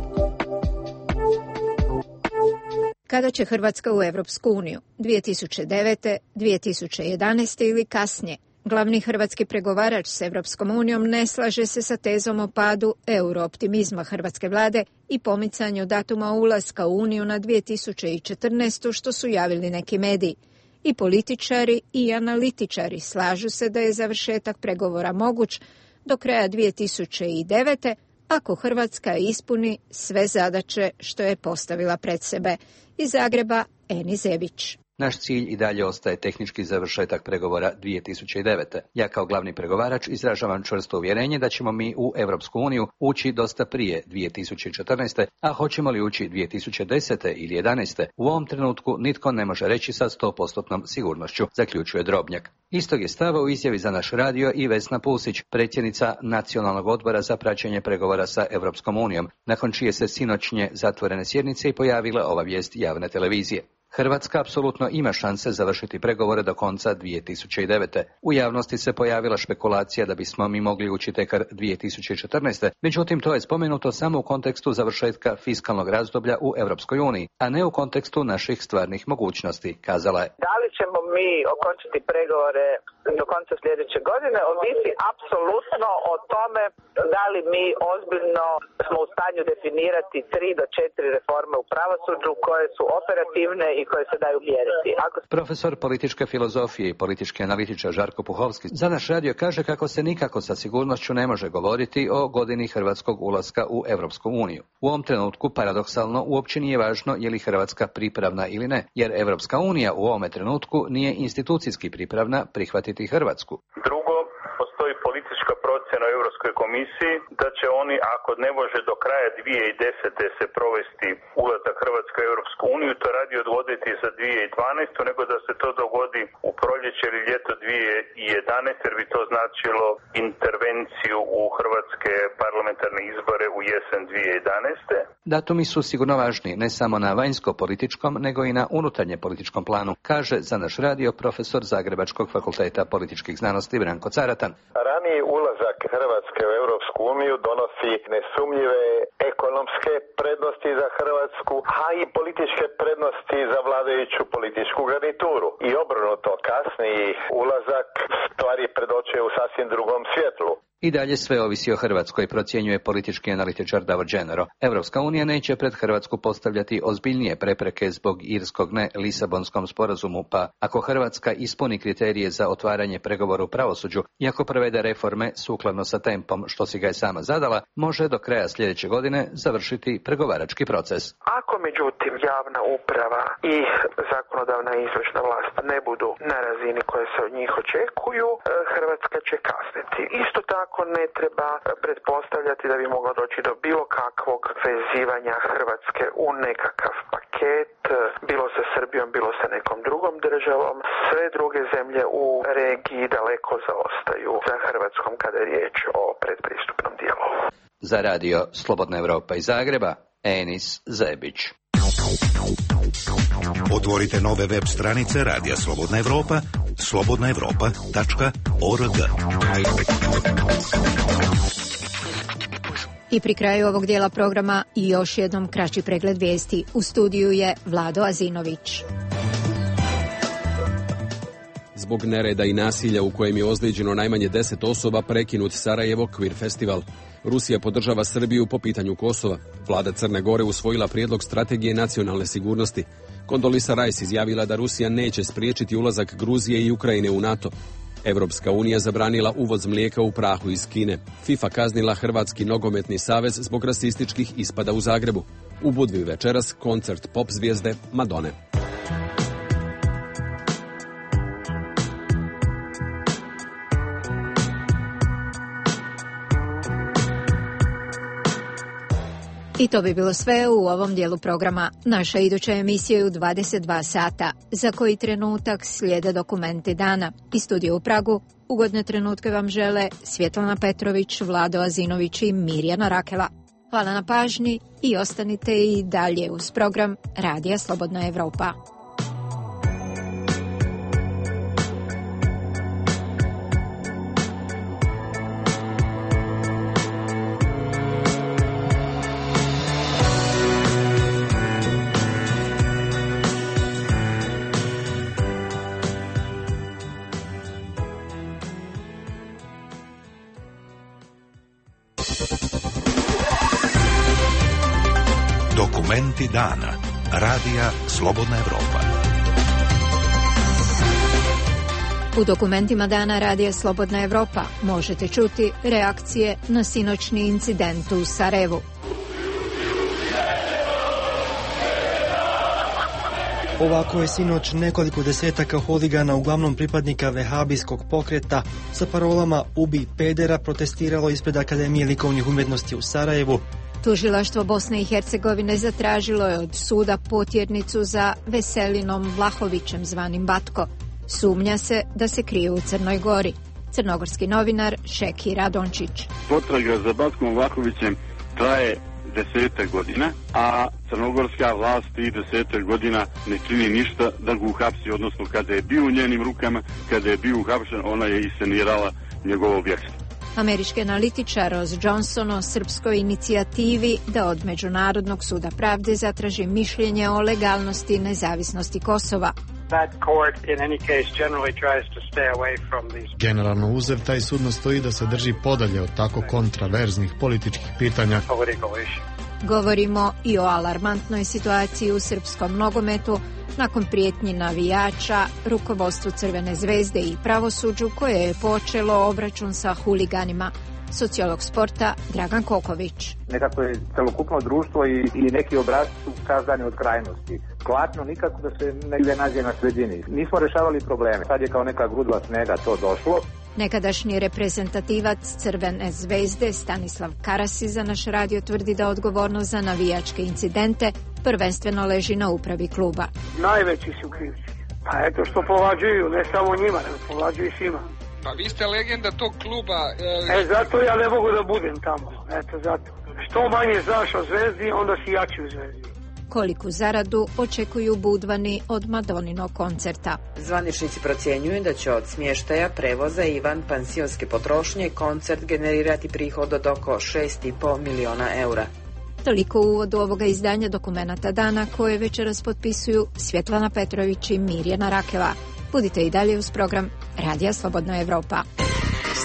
Kada će Hrvatska u Evropsku uniju? dvije tisuće devete, dvije tisuće jedanaeste ili kasnije? Glavni hrvatski pregovarač s Evropskom unijom ne slaže se sa tezom o padu eurooptimizma hrvatske vlade i pomicanju datuma ulaska u uniju na dvije tisuće četrnaestu što su javili neki mediji. I političari i analitičari slažu se da je završetak pregovora moguć do kraja dvije tisuće devete ako Hrvatska ispuni sve zadaće što je postavila pred sebe. Iz Zagreba, Eni Zebić. Naš cilj i dalje ostaje tehnički završetak pregovora dvije tisuće devete. Ja kao glavni pregovarač izražavam čvrsto uvjerenje da ćemo mi u Europsku uniju ući dosta prije dvije tisuće četrnaeste, a hoćemo li ući dvije tisuće desete ili jedanaeste, u ovom trenutku nitko ne može reći sa sto posto sigurnošću, zaključuje Drobnjak. Istog je stava u izjavi za naš radio i Vesna Pusić, predsjednica Nacionalnog odbora za praćenje pregovora sa Europskom unijom, nakon čije se sinoćnje zatvorene sjednice i pojavila ova vijest javne televizije. Hrvatska apsolutno ima šanse završiti pregovore do konca dvije tisuće devete. U javnosti se pojavila špekulacija da bismo mi mogli ući tekar dvije tisuće četrnaeste, međutim to je spomenuto samo u kontekstu završetka fiskalnog razdoblja u Europskoj uniji, a ne u kontekstu naših stvarnih mogućnosti, kazala je. Da li ćemo mi okončati pregovore do konca sljedeće godine ovisi apsolutno o tome da li mi ozbiljno smo u stanju definirati tri do četiri reforme u pravosuđu koje su operativne i koje se daju mjeriti. Ako... Profesor političke filozofije i politički analitičar Žarko Puhovski za naš radio kaže kako se nikako sa sigurnošću ne može govoriti o godini hrvatskog ulaska u Europsku uniju. U ovom trenutku, paradoksalno, uopće nije važno je li Hrvatska pripravna ili ne, jer Europska unija u ovome trenutku nije institucijski pripravna prihvatiti Hrvatsku. Drugo, postoji politička procjena u Europskoj komisiji da će oni, ako ne može do kraja dvije tisuće desete se provesti ulazak Hrvatske u Europsku uniju, to radi odgoditi za dvije tisuće dvanaestu, nego da se to dogodi u proljeće ili ljeto dvije tisuće jedanaeste, jer bi to značilo intervenciju u hrvatske parlamentarne izbore u jesen dvije tisuće jedanaeste. Datumi su sigurno važni, ne samo na vanjsko-političkom, nego i na unutarnje političkom planu, kaže za naš radio profesor Zagrebačkog fakulteta političkih znanosti Branko Caratan. Raniji ulazak Hrvatske u Europsku uniju donosi nesumnjive ekonomske prednosti za Hrvatsku, a i političke prednosti za vladajuću političku garnituru. I obrnuto, kasniji ulazak stvari predočuje u sasvim drugom svjetlu. I dalje sve ovisi o Hrvatskoj, procjenjuje politički analitičar Davor Dženero. Evropska unija neće pred Hrvatsku postavljati ozbiljnije prepreke zbog irskog ne Lisabonskom sporazumu, pa ako Hrvatska ispuni kriterije za otvaranje pregovora u pravosuđu i ako provede reforme sukladno sa tempom što si ga je sama zadala, može do kraja sljedeće godine završiti pregovarački proces. Ako međutim javna uprava i zakonodavna i izvršna vlast ne budu na razini koje se od njih očekuju, Hrvatska će kasniti. Isto tako Ako ne treba pretpostavljati da bi moglo doći do bilo kakvog vezivanja Hrvatske u nekakav paket, bilo sa Srbijom, bilo sa nekom drugom državom. Sve druge zemlje u regiji daleko zaostaju za Hrvatskom kada je riječ o predpristupnom dijelu. Za radio Slobodna Evropa iz Zagreba, Enis Zebić. Otvorite nove web stranice Radija Slobodna Evropa, slobodna evropa tačka org. I pri kraju ovog dijela programa i još jednom kraći pregled vijesti. U studiju je Vlado Azinović. Zbog nereda i nasilja u kojem je ozlijeđeno najmanje deset osoba prekinut Sarajevo Kvir festival. Rusija podržava Srbiju po pitanju Kosova. Vlada Crne Gore usvojila prijedlog strategije nacionalne sigurnosti. Kondolisa Rice izjavila da Rusija neće spriječiti ulazak Gruzije i Ukrajine u NATO. Evropska unija zabranila uvoz mlijeka u prahu iz Kine. FIFA kaznila Hrvatski nogometni savez zbog rasističkih ispada u Zagrebu. U Budvi večeras koncert pop zvijezde Madone. I to bi bilo sve u ovom dijelu programa. Naša iduća emisija je u dvadeset dva sata. Za koji trenutak slijede dokumenti dana. Iz studija u Pragu ugodne trenutke vam žele Svjetlana Petrović, Vlado Azinović i Mirjana Rakela. Hvala na pažnji i ostanite i dalje uz program Radija Slobodna Evropa. Dokumenti dana. Radija Slobodna Evropa. U dokumentima dana Radija Slobodna Evropa možete čuti reakcije na sinoćni incident u Sarajevu. Ovako je sinoć nekoliko desetaka huligana, uglavnom pripadnika vehabijskog pokreta, sa parolama "Ubi pedera" protestiralo ispred Akademije likovnih umjetnosti u Sarajevu. Tužilaštvo Bosne i Hercegovine zatražilo je od suda potjernicu za Veselinom Vlahovićem zvanim Batko. Sumnja se da se krije u Crnoj Gori. Crnogorski novinar Šeki Radončić. Potraga za Batkom Vlahovićem traje desetak godina, a crnogorska vlast i desetak godina ne čini ništa da ga uhapsi, odnosno kada je bio u njenim rukama, kada je bio uhapšen, ona je iscenirala njegovo bjegstvo. Američki analitičar Ross Johnson o srpskoj inicijativi da od Međunarodnog suda pravde zatraži mišljenje o legalnosti i nezavisnosti Kosova. Generalno uzev, taj sud nastoji da se drži podalje od tako kontraverznih političkih pitanja. Govorimo i o alarmantnoj situaciji u srpskom nogometu nakon prijetnji navijača, rukovodstvu Crvene zvezde i pravosuđu koje je počelo obračun sa huliganima. Sociolog sporta Dragan Koković. Nekako je celokupno društvo i, i neki obrazi su kazdani od krajnosti. Klatno nikako da se negdje nađe na sredini. Nismo rešavali probleme. Sad je kao neka grudva snega to došlo. Nekadašnji reprezentativac Crvene zvezde Stanislav Karasi za naš radio tvrdi da odgovornost za navijačke incidente prvenstveno leži na upravi kluba. Najveći su krivci. Pa eto što povlađuju, ne samo njima, nego povlađuju svima. Pa vi ste legenda tog kluba. E, e zato ja ne mogu da budem tamo. Eto zato. Što manje znaš o Zvezdi, onda si jači u Zvezdi. Koliku zaradu očekuju Budvani od Madoninog koncerta. Zvaničnici procjenjuju da će od smještaja, prevoza i van pansionske potrošnje koncert generirati prihod od oko šest i po miliona eura. Toliko u uvodu ovoga izdanja dokumenata dana koje večeras potpisuju Svjetlana Petrović i Mirjana Rakela. Budite i dalje uz program Radija Slobodna Evropa.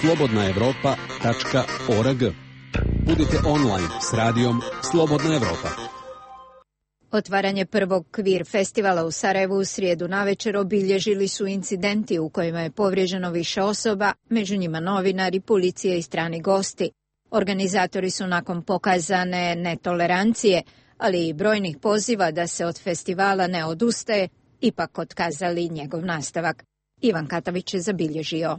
slobodna evropa tačka org. Budite online s radijom Slobodna Evropa. Otvaranje prvog kvir festivala u Sarajevu u srijedu navečer obilježili su incidenti u kojima je povrijeđeno više osoba, među njima novinari, policija i strani gosti. Organizatori su nakon pokazane netolerancije, ali i brojnih poziva da se od festivala ne odustaje, ipak otkazali njegov nastavak. Ivan Katavić je zabilježio.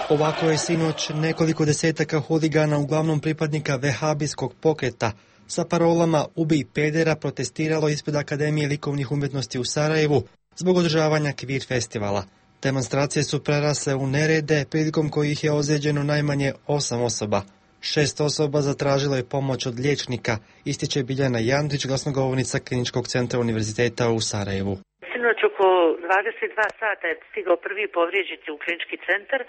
Ovako je sinoć nekoliko desetaka huligana, uglavnom pripadnika vehabijskog pokreta, sa parolama "Ubij pedera" protestiralo ispred Akademije likovnih umjetnosti u Sarajevu zbog održavanja kvir festivala. Demonstracije su prerasle u nerede, prilikom kojih je ozlijeđeno najmanje osam osoba. Šest osoba zatražilo je pomoć od liječnika, ističe Biljana Jandić, glasnogovornica Kliničkog centra Univerziteta u Sarajevu. Sinoć oko dvadeset dva sata je stigao prvi povrijeđeni u klinički centar.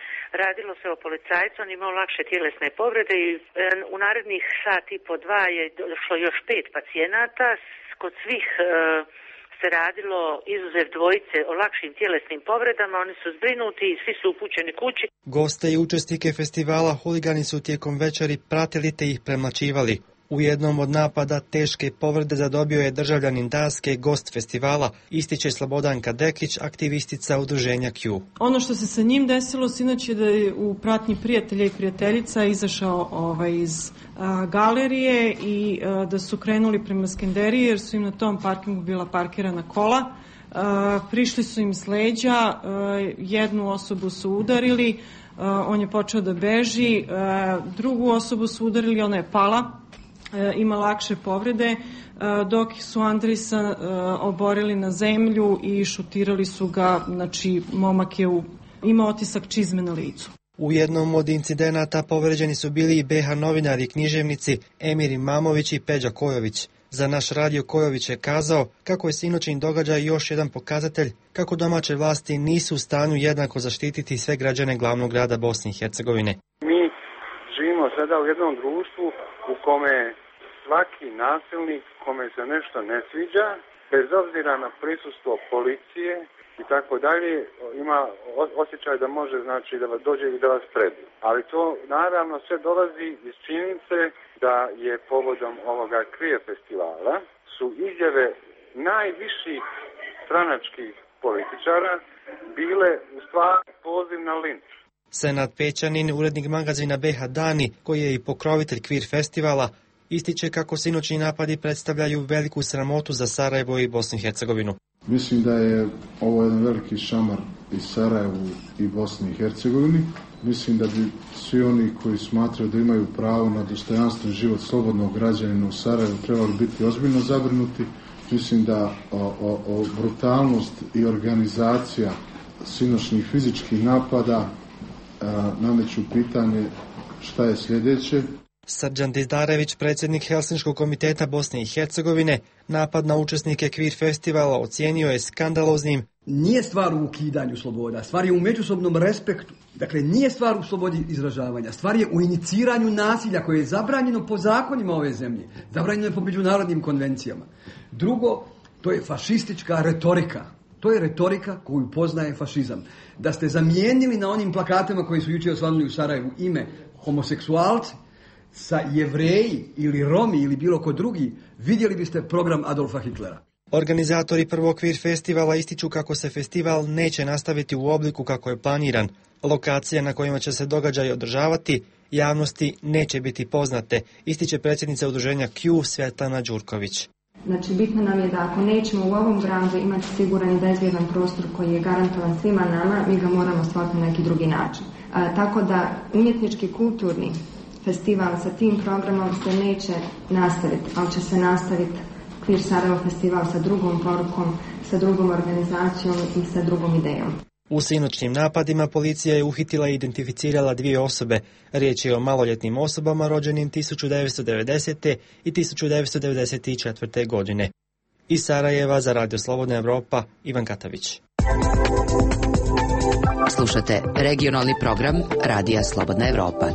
Radilo se o policajcu, on imao lakše tjelesne povrede i u narednih sat i po dva je došlo još pet pacijenata. Kod svih e, se radilo, izuzev dvojice, o lakšim tjelesnim povredama. Oni su zbrinuti i svi su upućeni kući. Goste i učesnike festivala huligani su tijekom večeri pratili te ih premlaćivali. U jednom od napada teške povrede zadobio je državljanin Danske, gost festivala, ističe Slobodanka Dekić, aktivistica udruženja Q. Ono što se sa njim desilo sinoć je da je u pratnji prijatelja i prijateljica izašao ovaj, iz a, galerije i a, da su krenuli prema Skenderiji jer su im na tom parkingu bila parkirana kola. prišli su im s leđa, jednu osobu su udarili, on je počeo da beži, drugu osobu su udarili, ona je pala, ima lakše povrede, dok su Andrisa oborili na zemlju i šutirali su ga, znači momak je u, ima otisak čizme na licu. U jednom od incidenata povređeni su bili i be ha novinari i književnici Emir Imamović i Peđa Kojović. Za naš radio Kojović je kazao kako je sinoćni događaj još jedan pokazatelj kako domaće vlasti nisu u stanju jednako zaštititi sve građane glavnog grada Bosne i Hercegovine. Mi živimo sada u jednom društvu u kome svaki nasilnik kome se nešto ne sviđa, bez obzira na prisustvo policije i tako dalje, ima osjećaj da može, znači, da vas dođe i da vas prebi. Ali to naravno sve dolazi iz činjenice da je povodom ovoga Queer festivala su izjave najviših stranačkih političara bile u stvari poziv na linč. Senad Pećanin, urednik magazina be ha Dani, koji je i pokrovitelj Queer festivala, ističe kako sinoćni napadi predstavljaju veliku sramotu za Sarajevo i Bosnu i Hercegovinu. Mislim da je ovo jedan veliki šamar i Sarajevu i Bosni i Hercegovini. Mislim da bi svi oni koji smatraju da imaju pravo na dostojanstven život slobodnog građanina u Sarajevu trebali biti ozbiljno zabrinuti. Mislim da o, o, o brutalnost i organizacija sinoćnih fizičkih napada a, nameću pitanje šta je sljedeće. Srđan Dizdarević, predsjednik Helsinškog komiteta Bosne i Hercegovine, napad na učesnike Queer festivala ocijenio je skandaloznim. Nije stvar u ukidanju sloboda, stvar je u međusobnom respektu. Dakle, nije stvar u slobodi izražavanja, stvar je u iniciranju nasilja koje je zabranjeno po zakonima ove zemlje, zabranjeno je po međunarodnim konvencijama. Drugo, to je fašistička retorika. To je retorika koju poznaje fašizam. Da ste zamijenili na onim plakatima koji su jučer osvanuli u Sarajevu ime homoseksualci sa Jevreji ili Romi ili bilo ko drugi, vidjeli biste program Adolfa Hitlera. Organizatori prvog Queer festivala ističu kako se festival neće nastaviti u obliku kako je planiran. Lokacije na kojima će se događaj održavati javnosti neće biti poznate, ističe predsjednica udruženja Q Svetlana Đurković. Znači, bitno nam je da ako nećemo u ovom gradu imati siguran i bezbjedan prostor koji je garantovan svima nama, mi ga moramo stvoriti na neki drugi način. A, tako da umjetnički kulturni festival sa tim programom se neće nastaviti, ali će se nastaviti Queer Sarajevo festival sa drugom porukom, sa drugom organizacijom i sa drugom idejom. U sinoćnim napadima policija je uhitila i identificirala dvije osobe. Riječ je o maloljetnim osobama rođenim tisuću devetsto devedesete. i tisuću devetsto devedeset četvrte. godine. Iz Sarajeva za Radio Slobodna Evropa, Ivan Katavić. Slušate regionalni program Radija Slobodna Evropa.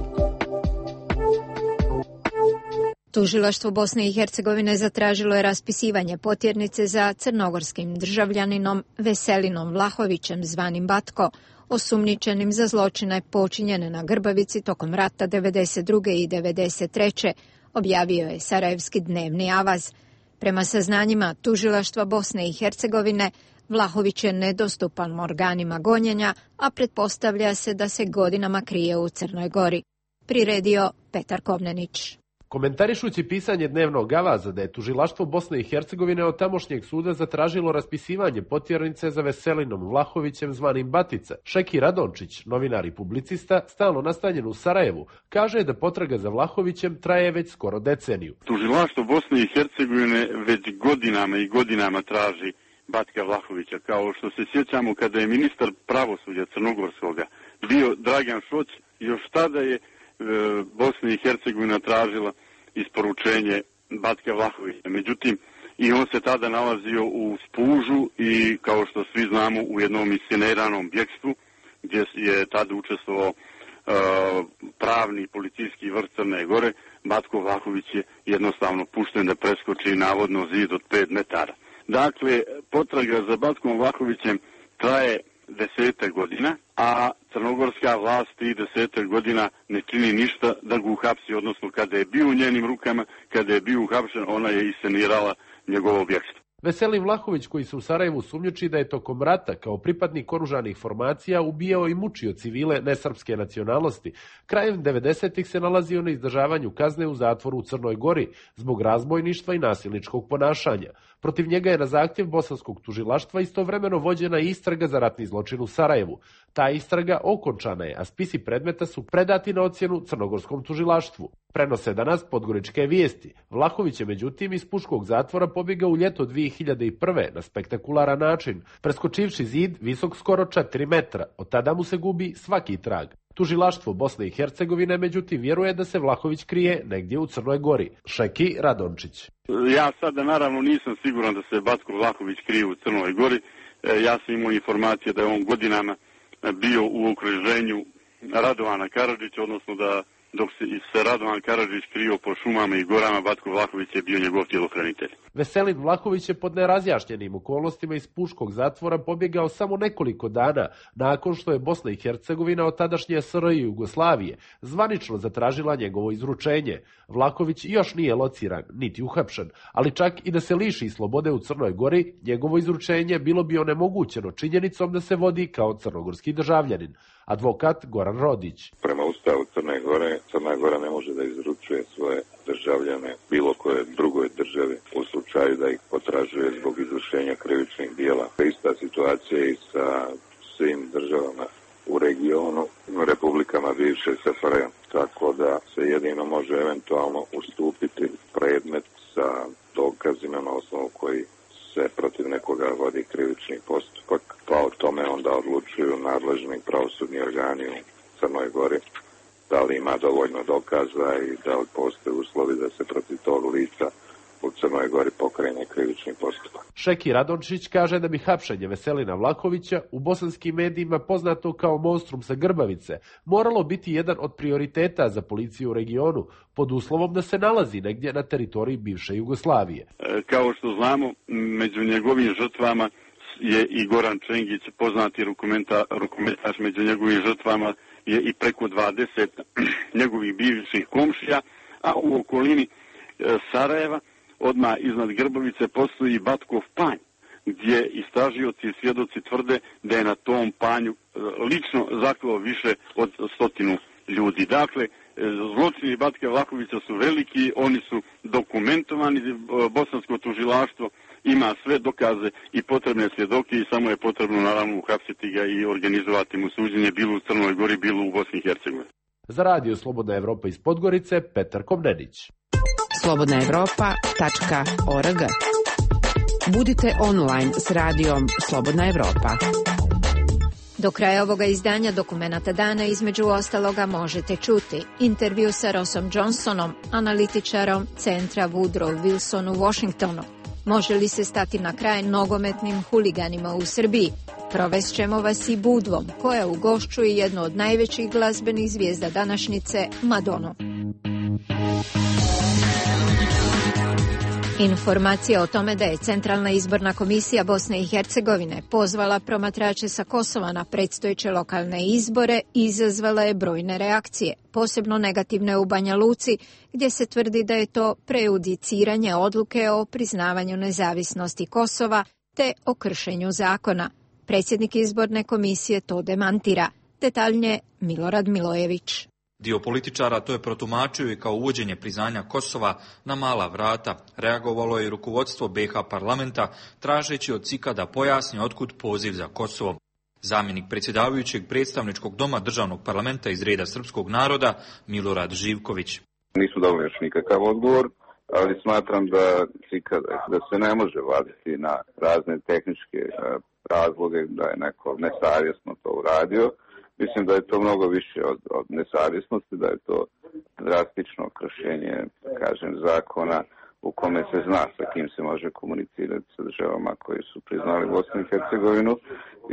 Tužilaštvo Bosne i Hercegovine zatražilo je raspisivanje potjernice za crnogorskim državljaninom Veselinom Vlahovićem zvanim Batko, osumnjičenim za zločine počinjene na Grbavici tokom rata devedeset druge i devedeset treće, objavio je Sarajevski dnevni avaz. Prema saznanjima Tužilaštva Bosne i Hercegovine, Vlahović je nedostupan organima gonjenja, a pretpostavlja se da se godinama krije u Crnoj Gori. Priredio Petar Kovnenić. Komentarišući pisanje dnevnog avaza da je Tužilaštvo Bosne i Hercegovine od tamošnjeg suda zatražilo raspisivanje potjernice za Veselinom Vlahovićem zvanim Batica, Šeki Radončić, novinar i publicista, stalno nastanjen u Sarajevu, kaže da potraga za Vlahovićem traje već skoro deceniju. Tužilaštvo Bosne i Hercegovine već godinama i godinama traži Batka Vlahovića, kao što se sjećamo kada je ministar pravosuđa Crnogorskoga bio Dragan Šoć, još tada je Bosna i Hercegovina tražila isporučenje Batka Vlahovića. Međutim, i on se tada nalazio u Spužu i, kao što svi znamo, u jednom isceniranom bjekstvu, gdje je tada učestvovao uh, pravni policijski vrh Crne Gore. Batko Vlahović je jednostavno pušten da preskoči navodno zid od pet metara. Dakle, potraga za Batkom Vlahovićem traje desetak godina, a crnogorska vlast tih desetak godina ne čini ništa da ga uhapsi, odnosno kada je bio u njenim rukama, kada je bio uhapšen, ona je iscenirala njegovo bjekstvo. Veselin Vlahović, koji se u Sarajevu sumnjiči da je tokom rata kao pripadnik oružanih formacija ubijao i mučio civile nesrpske nacionalnosti, krajem devedesetih se nalazio na izdržavanju kazne u zatvoru u Crnoj Gori zbog razbojništva i nasilničkog ponašanja. Protiv njega je na zahtjev bosanskog tužilaštva istovremeno vođena istraga za ratni zločin u Sarajevu. Ta istraga okončana je, a spisi predmeta su predati na ocjenu crnogorskom tužilaštvu. Prenose danas Podgoričke vijesti. Vlahović je međutim iz puškog zatvora pobjegao u ljeto dvije hiljade prve na spektakularan način, preskočivši zid visok skoro četiri metra. Od tada mu se gubi svaki trag. Tužilaštvo Bosne i Hercegovine međutim vjeruje da se Vlahović krije negdje u Crnoj Gori. Šeki Radončić. Ja sada naravno nisam siguran da se Batko Vlahović krije u Crnoj Gori. Ja sam imao informacije da je on godinama bio u okruženju Radovana Karadžića, odnosno da dok se, se Radovan Karadžić krio po šumama i gorama, Batko Vlahović je bio njegov tjelohranitelj. Veselin Vlahović je pod nerazjašnjenim okolnostima iz puškog zatvora pobjegao samo nekoliko dana nakon što je Bosna i Hercegovina od tadašnje S R J Jugoslavije zvanično zatražila njegovo izručenje. Vlahović još nije lociran, niti uhapšen, ali čak i da se liši slobode u Crnoj Gori, njegovo izručenje bilo bi onemogućeno činjenicom da se vodi kao crnogorski državljanin. Advokat Goran Rodić. Prema Ustavu Crne Gore, Crna Gora ne može da izručuje svoje državljane bilo koje drugoj državi u slučaju da ih potražuje zbog izvršenja krivičnih dijela. Ista situacija i sa svim državama u regionu, republikama bivše S F R J. Tako da se jedino može eventualno ustupiti predmet sa dokazima na osnovu koji se protiv nekoga vodi krivični postupak, pa o tome onda odlučuju nadležni pravosudni organi u Crnoj Gori, da li ima dovoljno dokaza i da li postoje uslovi da se protiv tog lica u Crnoj Gori pokrene krivični postupak. Šeki Radončić kaže da bi hapšenje Veselina Vlahovića, u bosanskim medijima poznato kao monstrum sa Grbavice, moralo biti jedan od prioriteta za policiju u regionu, pod uslovom da se nalazi negdje na teritoriji bivše Jugoslavije. E, kao što znamo, među njegovim žrtvama je i Goran Čengić, poznati rukometaš, među njegovim žrtvama je i preko dvadeset njegovih bivših komšija, a u okolini e, Sarajeva, odmah iznad Grbavice, postoji Batkov panj, gdje istražioci i svjedoci tvrde da je na tom panju lično zaklao više od stotinu ljudi. Dakle, zločini Batka Vlahovića su veliki, oni su dokumentovani, bosansko tužilaštvo ima sve dokaze i potrebne svjedoke i samo je potrebno naravno uhapsiti ga i organizovati mu suđenje bilo u Crnoj Gori, bilo u Bosni i Hercegovini. Za radio Slobodna Evropa iz Podgorice, Petar Komnenić. slobodna evropa tačka org. Budite online s radijom Slobodna Evropa. Do kraja ovoga izdanja Dokumenata dana između ostaloga možete čuti intervju sa Rossom Johnsonom, analitičarom centra Woodrow Wilson u Washingtonu. Može li se stati na kraj nogometnim huliganima u Srbiji? Provest ćemo vas i Budvom, koja ugošćuje jednu od najvećih glazbenih zvijezda današnjice, Madonu. Informacija o tome da je Centralna izborna komisija Bosne i Hercegovine pozvala promatrače sa Kosova na predstojeće lokalne izbore izazvala je brojne reakcije, posebno negativne u Banja Luci, gdje se tvrdi da je to prejudiciranje odluke o priznavanju nezavisnosti Kosova te o kršenju zakona. Predsjednik izborne komisije to demantira. Detaljnije Milorad Milojević. Dio političara to je protumačio i kao uvođenje priznanja Kosova na mala vrata. Reagovalo je i rukovodstvo B H parlamenta, tražeći od C I K-a da pojasni otkud poziv za Kosovo. Zamjenik predsjedavajućeg predstavničkog doma državnog parlamenta iz reda srpskog naroda, Milorad Živković. Nisu dobili još nikakav odgovor, ali smatram da C I K A da se ne može vaditi na razne tehničke razloge da je neko nesavjesno to uradio. Mislim da je to mnogo više od, od nesavjesnosti, da je to drastično kršenje, kažem, zakona u kome se zna sa kim se može komunicirati sa državama koji su priznali Bosnu i Hercegovinu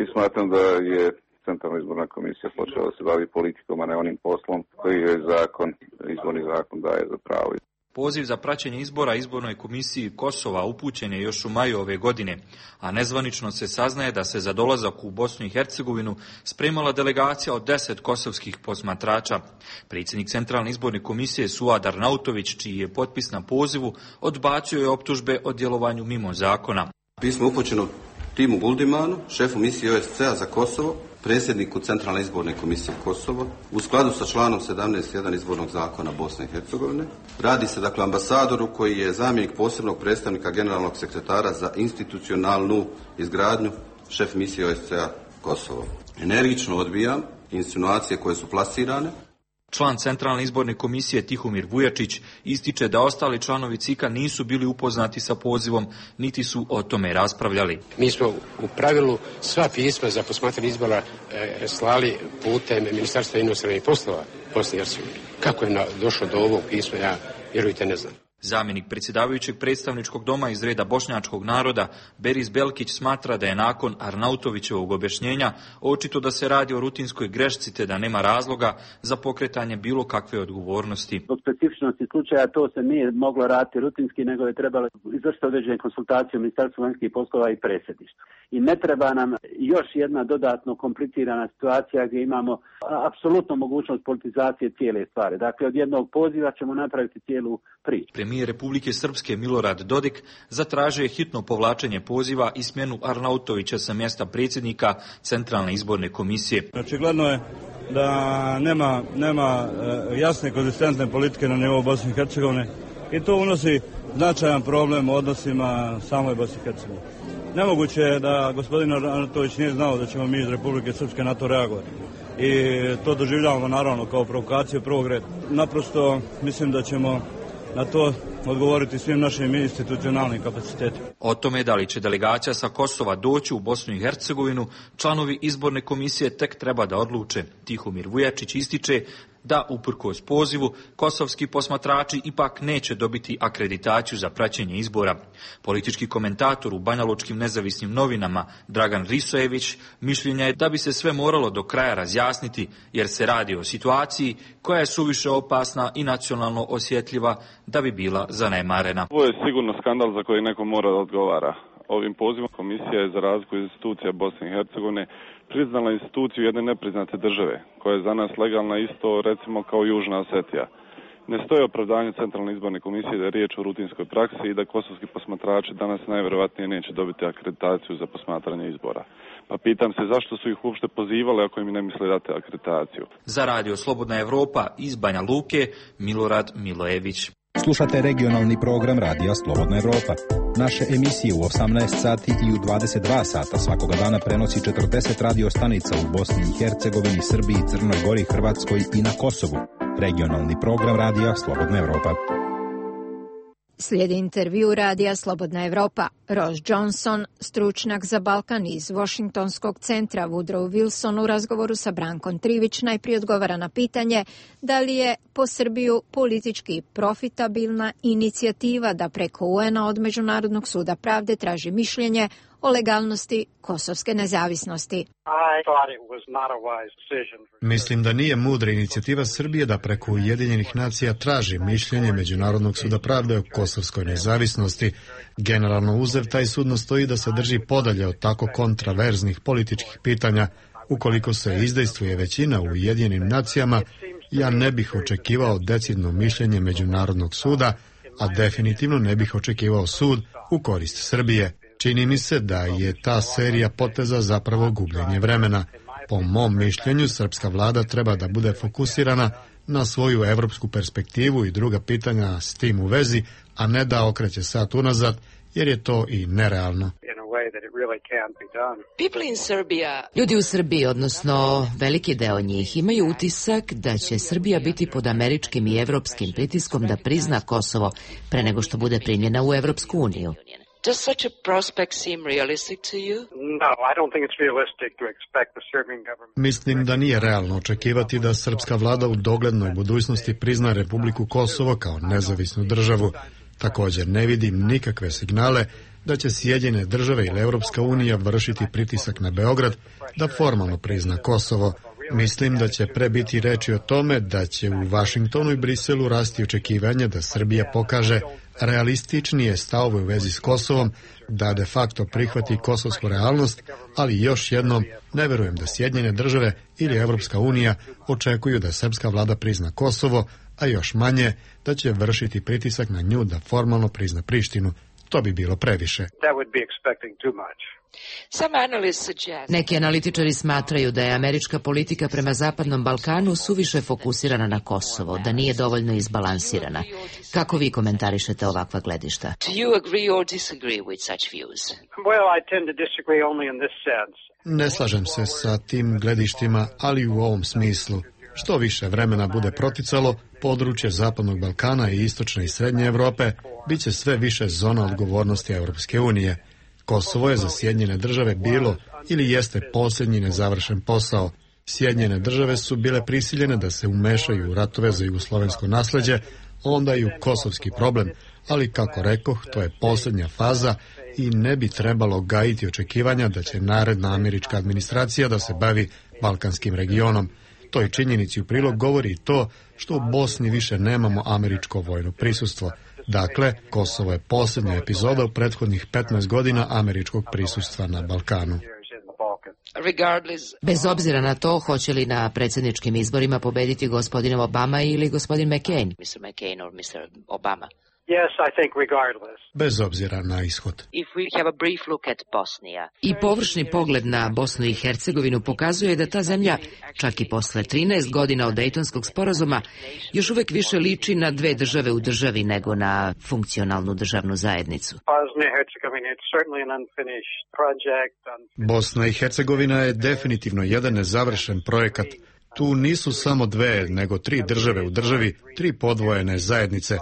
i smatram da je Centralna izborna komisija počela da se bavi politikom, a ne onim poslom koji je zakon, izborni zakon daje za pravo. Poziv za praćenje izbora izbornoj komisiji Kosova upućen je još u maju ove godine, a nezvanično se saznaje da se za dolazak u Bosnu i Hercegovinu spremala delegacija od deset kosovskih posmatrača. Predsjednik Centralne izborne komisije Suad Arnautović, čiji je potpis na pozivu, odbacio je optužbe o djelovanju mimo zakona. Pismo upućeno Timu Guldimanu, šefu misije O S C-a za Kosovo, predsjedniku Centralne izborne komisije Kosovo u skladu sa članom sedamnaest jedan izbornog zakona Bosne i Hercegovine. Radi se dakle ambasadoru koji je zamjenik posebnog predstavnika generalnog sekretara za institucionalnu izgradnju, šef misije O S C E-a Kosovo. Energično odbijam insinuacije koje su plasirane. Član Centralne izborne komisije Tihomir Vujačić ističe da ostali članovi C I K-a nisu bili upoznati sa pozivom, niti su o tome raspravljali. Mi smo u pravilu sva pisma za posmatranje izbora e, slali putem Ministarstva inostranih poslova Bosne i Hercegovine. Kako je na, došlo do ovog pisma, ja vjerujte ne znam. Zamjenik predsjedavajućeg predstavničkog doma iz reda bošnjačkog naroda Beris Belkić smatra da je nakon Arnautovićevog objašnjenja očito da se radi o rutinskoj grešci te da nema razloga za pokretanje bilo kakve odgovornosti. Zbog specifičnosti slučaja to se nije moglo raditi rutinski, nego je trebalo izvršiti određene konsultacije u Ministarstvu vanjskih poslova i predsjedništvu. I ne treba nam još jedna dodatno komplicirana situacija gdje imamo apsolutno mogućnost politizacije cijele stvari. Dakle, od jednog poziva ćemo napraviti cijelu priču. Premijer Republike Srpske Milorad Dodik zatražio je hitno povlačenje poziva i smjenu Arnautovića sa mjesta predsjednika Centralne izborne komisije. Očigledno je da nema, nema jasne konzistentne politike na nivou Bosne i Hercegovine i to unosi značajan problem u odnosima samoj Bosne i Hercegovine. Nemoguće je da gospodin Arnautović nije znao da ćemo mi iz Republike Srpske na to reagovati. I to doživljavamo naravno kao provokaciju prvog reda. Naprosto mislim da ćemo na to odgovoriti svim našim institucionalnim kapacitetima. O tome da li će delegacija sa Kosova doći u Bosnu i Hercegovinu, članovi izborne komisije tek treba da odluče. Tihomir Vujačić ističe da, uprkos pozivu, kosovski posmatrači ipak neće dobiti akreditaciju za praćenje izbora. Politički komentator u banjalučkim nezavisnim novinama Dragan Risojević mišljenja je da bi se sve moralo do kraja razjasniti, jer se radi o situaciji koja je suviše opasna i nacionalno osjetljiva da bi bila zanemarena. Ovo je sigurno skandal za koji neko mora da odgovara. Ovim pozivom komisija je za razliku institucija Bosne i Hercegovine priznala instituciju jedne nepriznate države, koja je za nas legalna isto recimo kao Južna Osetija. Ne stoji opravdanje Centralne izborne komisije da je riječ o rutinskoj praksi i da kosovski posmatrači danas najvjerojatnije neće dobiti akreditaciju za posmatranje izbora. Pa pitam se zašto su ih uopšte pozivali ako im ne misle dati akreditaciju. Za Radio Slobodna Evropa iz Banja Luke, Milorad Milojević. Slušate regionalni program Radija Slobodna Evropa. Naše emisije u osamnaest sati i u dvadeset dva sata svakoga dana prenosi četrdeset radio stanica u Bosni i Hercegovini, Srbiji, Crnoj Gori, Hrvatskoj i na Kosovu. Regionalni program Radija Slobodna Evropa. Slijedi intervju Radija Slobodna Evropa. Ross Johnson, stručnjak za Balkan iz Washingtonskog centra Woodrow Wilson u razgovoru sa Brankom Trivić najprije odgovara na pitanje da li je po Srbiju politički profitabilna inicijativa da preko U N-a od Međunarodnog suda pravde traži mišljenje o legalnosti kosovske nezavisnosti. Mislim da nije mudra inicijativa Srbije da preko Ujedinjenih nacija traži mišljenje Međunarodnog suda pravde o kosovskoj nezavisnosti. Generalno uzev, taj sud nastoji da se drži podalje od tako kontraverznih političkih pitanja. Ukoliko se izdejstvuje većina u Ujedinjenim nacijama, ja ne bih očekivao decidno mišljenje Međunarodnog suda, a definitivno ne bih očekivao sud u korist Srbije. Čini mi se da je ta serija poteza zapravo gubljenje vremena. Po mom mišljenju, srpska vlada treba da bude fokusirana na svoju evropsku perspektivu i druga pitanja s tim u vezi, a ne da okreće sat unazad, jer je to i nerealno. Ljudi u Srbiji, odnosno veliki deo njih, imaju utisak da će Srbija biti pod američkim i evropskim pritiskom da prizna Kosovo pre nego što bude primljena u Evropsku uniju. Does such a prospect seem realistic to you? No, I don't think it's realistic to expect the Serbian government. Mislim da nije realno očekivati da srpska vlada u doglednoj budućnosti prizna Republiku Kosovo kao nezavisnu državu. Također ne vidim nikakve signale da će Sjedinjene države ili Europska unija vršiti pritisak na Beograd da formalno prizna Kosovo. Mislim da će pre biti reči o tome da će u Vašingtonu i Briselu rasti očekivanje da Srbija pokaže realističnije stavove u vezi s Kosovom, da de facto prihvati kosovsku realnost, ali još jednom ne verujem da Sjedinjene države ili Europska unija očekuju da srpska vlada prizna Kosovo, a još manje da će vršiti pritisak na nju da formalno prizna Prištinu. to bi bilo previše. Neki analitičari smatraju da je američka politika prema Zapadnom Balkanu suviše fokusirana na Kosovo, da nije dovoljno izbalansirana. Kako vi komentarišete ovakva gledišta? Ne slažem se sa tim gledištima, ali u ovom smislu. Što više vremena bude proticalo, područje Zapadnog Balkana i Istočne i Srednje Europe bit će sve više zona odgovornosti Europske unije. Kosovo je za Sjedinjene države bilo ili jeste posljednji nezavršen posao. Sjedinjene države su bile prisiljene da se umešaju u ratove za jugoslovensko nasleđe, onda i u kosovski problem, ali kako rekoh, to je posljednja faza i ne bi trebalo gajiti očekivanja da će naredna američka administracija da se bavi balkanskim regionom. Toj činjenici u prilog govori i to što u Bosni više nemamo američko vojno prisustvo. Dakle, Kosovo je posljednja epizoda u prethodnih petnaest godina američkog prisustva na Balkanu. Bez obzira na to, hoće li na predsjedničkim izborima pobediti gospodin Obama ili gospodin McCain? Bez obzira na ishod. I površni pogled na Bosnu i Hercegovinu pokazuje da ta zemlja, čak i posle trinaest godina od Dejtonskog sporazuma, još uvek više liči na dve države u državi nego na funkcionalnu državnu zajednicu. Bosna i Hercegovina je definitivno jedan nezavršen projekat. Tu nisu samo dve, nego tri države u državi, tri podvojene zajednice.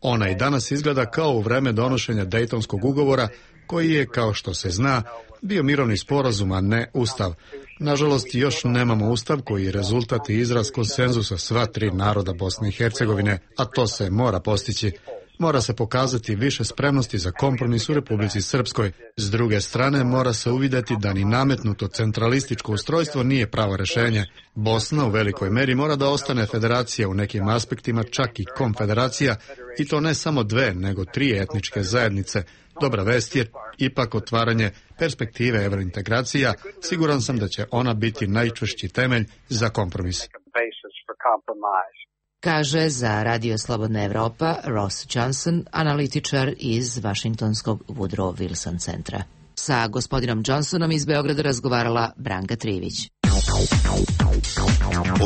Ona i danas izgleda kao u vreme donošenja Dejtonskog ugovora, koji je, kao što se zna, bio mirovni sporazum, a ne ustav. Nažalost, još nemamo ustav koji je rezultat i izraz konsenzusa sva tri naroda Bosne i Hercegovine, a to se mora postići. Mora se pokazati više spremnosti za kompromis u Republici Srpskoj. S druge strane, mora se uvidjeti da ni nametnuto centralističko ustrojstvo nije pravo rješenje. Bosna u velikoj meri mora da ostane federacija, u nekim aspektima čak i konfederacija, i to ne samo dve, nego tri etničke zajednice. Dobra vest je ipak otvaranje perspektive evrointegracija. Siguran sam da će ona biti najčvršći temelj za kompromis. Kaže za Radio Slobodna Evropa Ross Johnson, analitičar iz Vašingtonskog Woodrow Wilson centra. Sa gospodinom Johnsonom iz Beograda razgovarala Branka Trivić.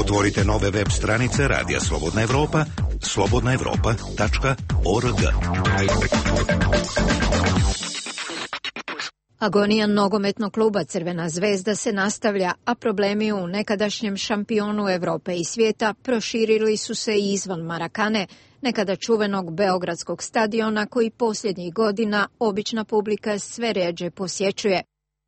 Otvorite nove web stranice Radija Slobodna Evropa, slobodna evropa tačka org. Agonija nogometnog kluba Crvena zvezda se nastavlja, a problemi u nekadašnjem šampionu Evrope i svijeta proširili su se i izvan Marakane, nekada čuvenog beogradskog stadiona koji posljednjih godina obična publika sve rjeđe posjećuje.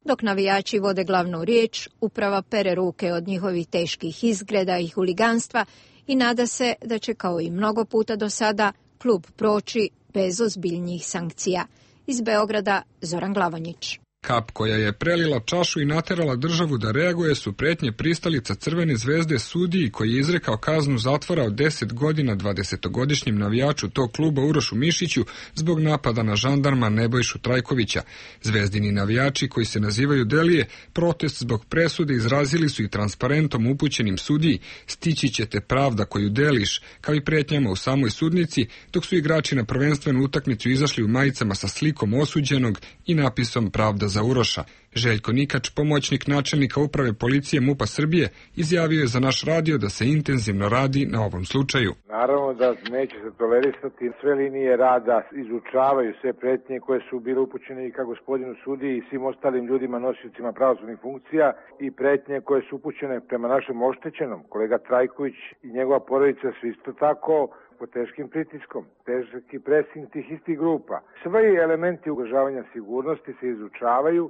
Dok navijači vode glavnu riječ, uprava pere ruke od njihovih teških izgreda i huliganstva i nada se da će, kao i mnogo puta do sada, klub proći bez ozbiljnijih sankcija. Iz Beograda Zoran Glavonjić. Kap koja je prelila čašu i naterala državu da reaguje su pretnje pristalica Crvene zvezde sudiji koji je izrekao kaznu zatvora od deset godina dvadesetogodišnjem navijaču tog kluba Urošu Mišiću zbog napada na žandarma Nebojšu Trajkovića. Zvezdini navijači koji se nazivaju Delije protest zbog presude izrazili su i transparentom upućenim sudiji stići će te pravda koju deliš, kao i pretnjama u samoj sudnici, dok su igrači na prvenstvenu utakmicu izašli u majicama sa slikom osuđenog i napisom pravda za Uroša. Željko Nikač, pomoćnik načelnika uprave policije MUP-a Srbije, izjavio je za naš radio da se intenzivno radi na ovom slučaju. Naravno da neće se tolerisati, sve linije rada izučavaju sve pretnje koje su bile upućene i ka gospodinu sudiji i svim ostalim ljudima nosiocima pravosudnih funkcija i pretnje koje su upućene prema našem oštećenom. Kolega Trajković i njegova porodica su isto tako pod teškim pritiskom, težki presing tih istih grupa. Svi elementi ugrožavanja sigurnosti se izučavaju,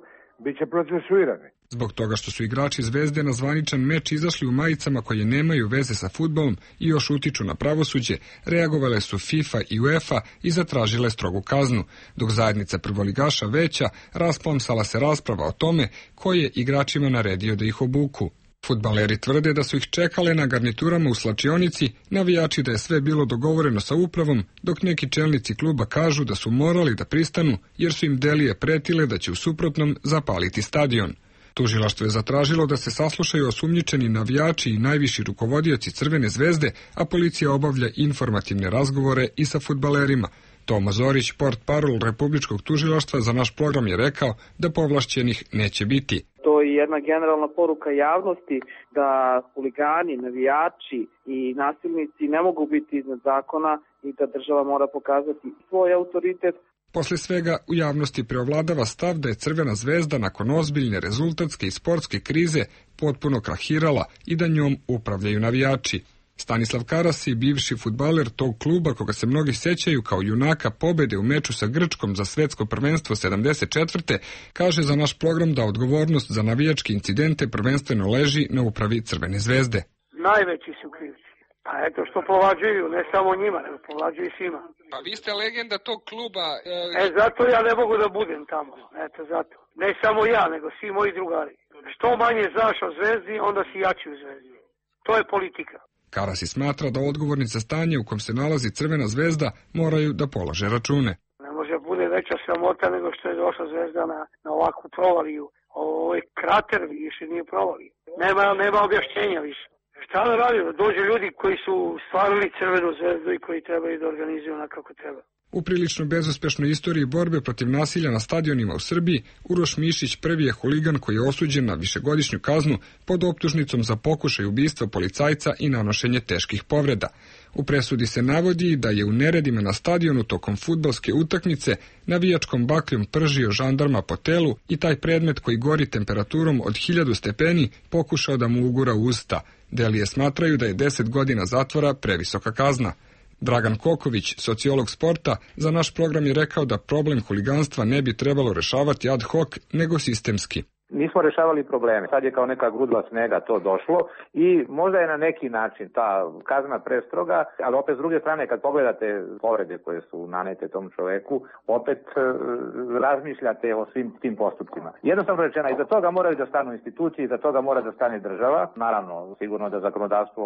bit će procesuirani. Zbog toga što su igrači Zvezde na zvaničan meč izašli u majicama koje nemaju veze sa fudbalom i još utiču na pravosuđe, reagovale su FIFA i UEFA i zatražile strogu kaznu, dok zajednica prvoligaša veća rasplamsala se rasprava o tome ko je igračima naredio da ih obuku. Fudbaleri tvrde da su ih čekale na garniturama u slačionici, navijači da je sve bilo dogovoreno sa upravom, dok neki čelnici kluba kažu da su morali da pristanu jer su im Delije pretile da će u suprotnom zapaliti stadion. Tužilaštvo je zatražilo da se saslušaju osumnjičeni navijači i najviši rukovodioci Crvene zvezde, a policija obavlja informativne razgovore i sa fudbalerima. Tomo Zorić, portparol Republičkog tužilaštva, za naš program je rekao da povlašćenih neće biti. To je jedna generalna poruka javnosti da huligani, navijači i nasilnici ne mogu biti iznad zakona i da država mora pokazati svoj autoritet. Posle svega u javnosti preovladava stav da je Crvena zvezda nakon ozbiljne rezultatske i sportske krize potpuno krahirala i da njom upravljaju navijači. Stanislav Karasi, bivši fudbaler tog kluba koga se mnogi sećaju kao junaka pobede u meču sa Grčkom za svetsko prvenstvo sedamdeset četvrte kaže za naš program da odgovornost za navijačke incidente prvenstveno leži na upravi Crvene zvezde. Najveći su krivci. Pa eto što povlađuju, ne samo njima, nego povlađuju i svima. Pa vi ste legenda tog kluba. E... e, zato ja ne mogu da budem tamo. Eto, zato. Ne samo ja, nego svi moji drugari. Što manje znaš o zvezdi, onda si jači u zvezdi. To je politika. Karasi smatra da odgovorni za stanje u kom se nalazi Crvena zvezda moraju da polaže račune. Ne može bude veća sramota nego što je došla zvezda na, na ovakvu provaliju. Ovo je krater više nije provaliju. Nema, nema objašnjenja više. Šta da radimo? Dođu ljudi koji su stvarili Crvenu zvezdu i koji trebaju da organizuju onako kako treba. U prilično bezuspešnoj istoriji borbe protiv nasilja na stadionima u Srbiji, Uroš Mišić prvi je huligan koji je osuđen na višegodišnju kaznu pod optužnicom za pokušaj ubistva policajca i nanošenje teških povreda. U presudi se navodi da je u neredima na stadionu tokom fudbalske utakmice navijačkom bakljom pržio žandarma po telu i taj predmet koji gori temperaturom od hiljadu stepeni pokušao da mu ugura usta. Delije smatraju da je deset godina zatvora previsoka kazna. Dragan Koković, sociolog sporta, za naš program je rekao da problem huliganstva ne bi trebalo rešavati ad hoc, nego sistemski. Nismo rešavali probleme. Sad je kao neka grudva snega to došlo i možda je na neki način ta kazna prestroga, ali opet s druge strane kad pogledate povrede koje su nanete tom čoveku, opet e, razmišljate o svim tim postupcima. Jednostavno rečeno, iza toga moraju da stanu institucije, iza toga mora da stane država. Naravno, sigurno da zakonodavstvo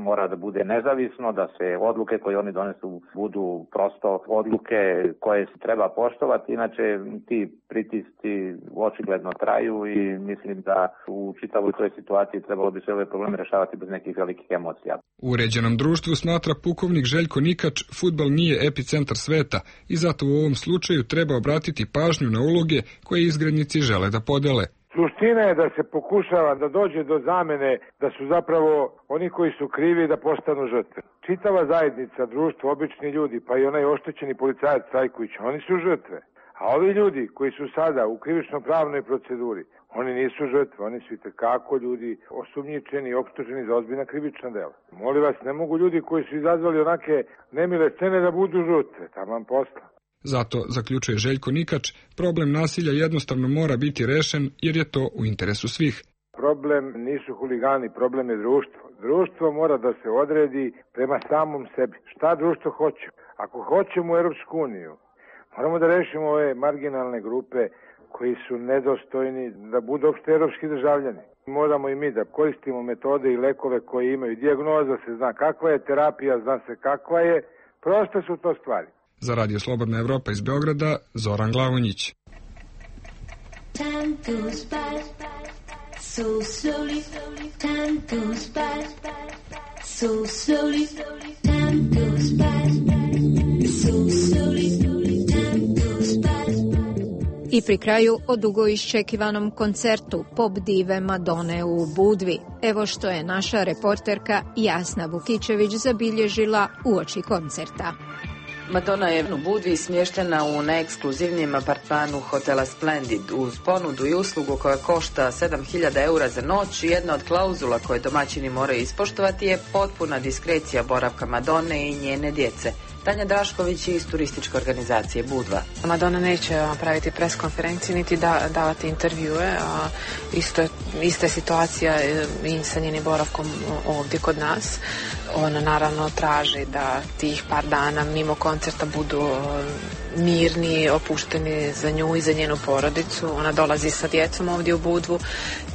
mora da bude nezavisno, da se odluke koje oni donesu budu prosto odluke koje se treba poštovati, inače ti pritisci očigledno traju i mislim da u čitavoj toj situaciji trebalo bi se ove probleme rešavati bez nekih velikih emocija. U uređenom društvu, smatra pukovnik Željko Nikač, fudbal nije epicentar sveta i zato u ovom slučaju treba obratiti pažnju na uloge koje izgrednici žele da podele. Suština je da se pokušava da dođe do zamene da su zapravo oni koji su krivi da postanu žrtve. Čitava zajednica, društvo, obični ljudi, pa i onaj oštećeni policajac Cajković, oni su žrtve. A ovi ljudi koji su sada u krivično-pravnoj proceduri, oni nisu žrtve, oni su itekako ljudi osumnjičeni i optuženi za ozbiljna krivična dela. Molim vas, ne mogu ljudi koji su izazvali onake nemile scene da budu žrtve, taman posla. Zato, zaključuje Željko Nikač, problem nasilja jednostavno mora biti rešen jer je to u interesu svih. Problem nisu huligani, problem je društvo. Društvo mora da se odredi prema samom sebi. Šta društvo hoće? Ako hoćemo u Europsku uniju, moramo da rešimo ove marginalne grupe koji su nedostojni da budu opšte evropski državljani. Moramo i mi da koristimo metode i lekove koje imaju. Dijagnoza se zna kakva je, terapija zna se kakva je. Proste su to stvari. Za Radio Slobodna Evropa iz Beograda, Zoran Glavonjić. Time goes by so slowly, time goes by so slowly, time goes by so slowly, time goes by. I pri kraju o dugo iščekivanom koncertu pop dive Madone u Budvi. Evo što je naša reporterka Jasna Vukićević zabilježila uoči koncerta. Madonna je u Budvi smještena u najekskluzivnijem apartmanu hotela Splendid. Uz ponudu i uslugu koja košta sedam hiljada eura za noć, jedna od klauzula koje domaćini moraju ispoštovati je potpuna diskrecija boravka Madone i njene djece. Tanja Drašković iz turističke organizacije Budva. Madonna neće praviti pres konferencije niti da, davati intervjue. A isto, ista je situacija i sa njenim boravkom ovdje kod nas. Ona naravno traži da tih par dana mimo koncerta budu mirni, opušteni za nju i za njenu porodicu. Ona dolazi sa djecom ovdje u Budvu.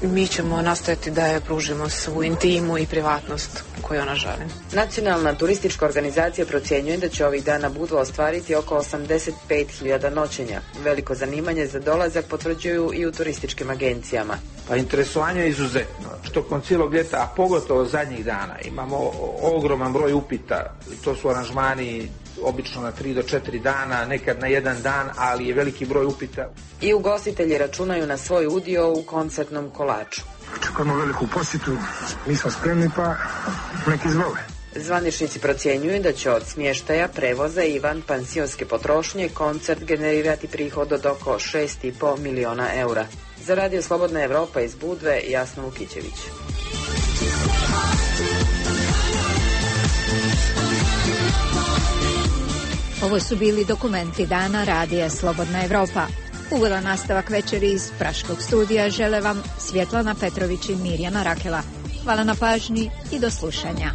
Mi ćemo nastojati da je pružimo svu intimu i privatnost koju ona želi. Nacionalna turistička organizacija procjenjuje da će ovih dana Budva ostvariti oko osamdeset pet hiljada noćenja. Veliko zanimanje za dolazak potvrđuju i u turističkim agencijama. Pa interesovanje je izuzetno. Tokom cijelog ljeta, a pogotovo zadnjih dana, imamo ogroman broj upita. To su aranžmani obično na tri do četiri dana, nekad na jedan dan, ali je veliki broj upita. I ugostitelji računaju na svoj udio u koncertnom kolaču. Očekujemo veliku posjetu, mi smo spremni pa neki izvole. Zvaničnici procjenjuju da će od smještaja, prevoza i van pansionske potrošnje koncert generirati prihod od oko šest i po miliona eura. Za Radio Slobodna Evropa iz Budve, Jasna Vukićević. Ovo su bili dokumenti dana Radija Slobodna Evropa. Ugodan nastavak večeri iz Praškog studija žele vam Svjetlana Petrović i Mirjana Rakela. Hvala na pažnji i do slušanja.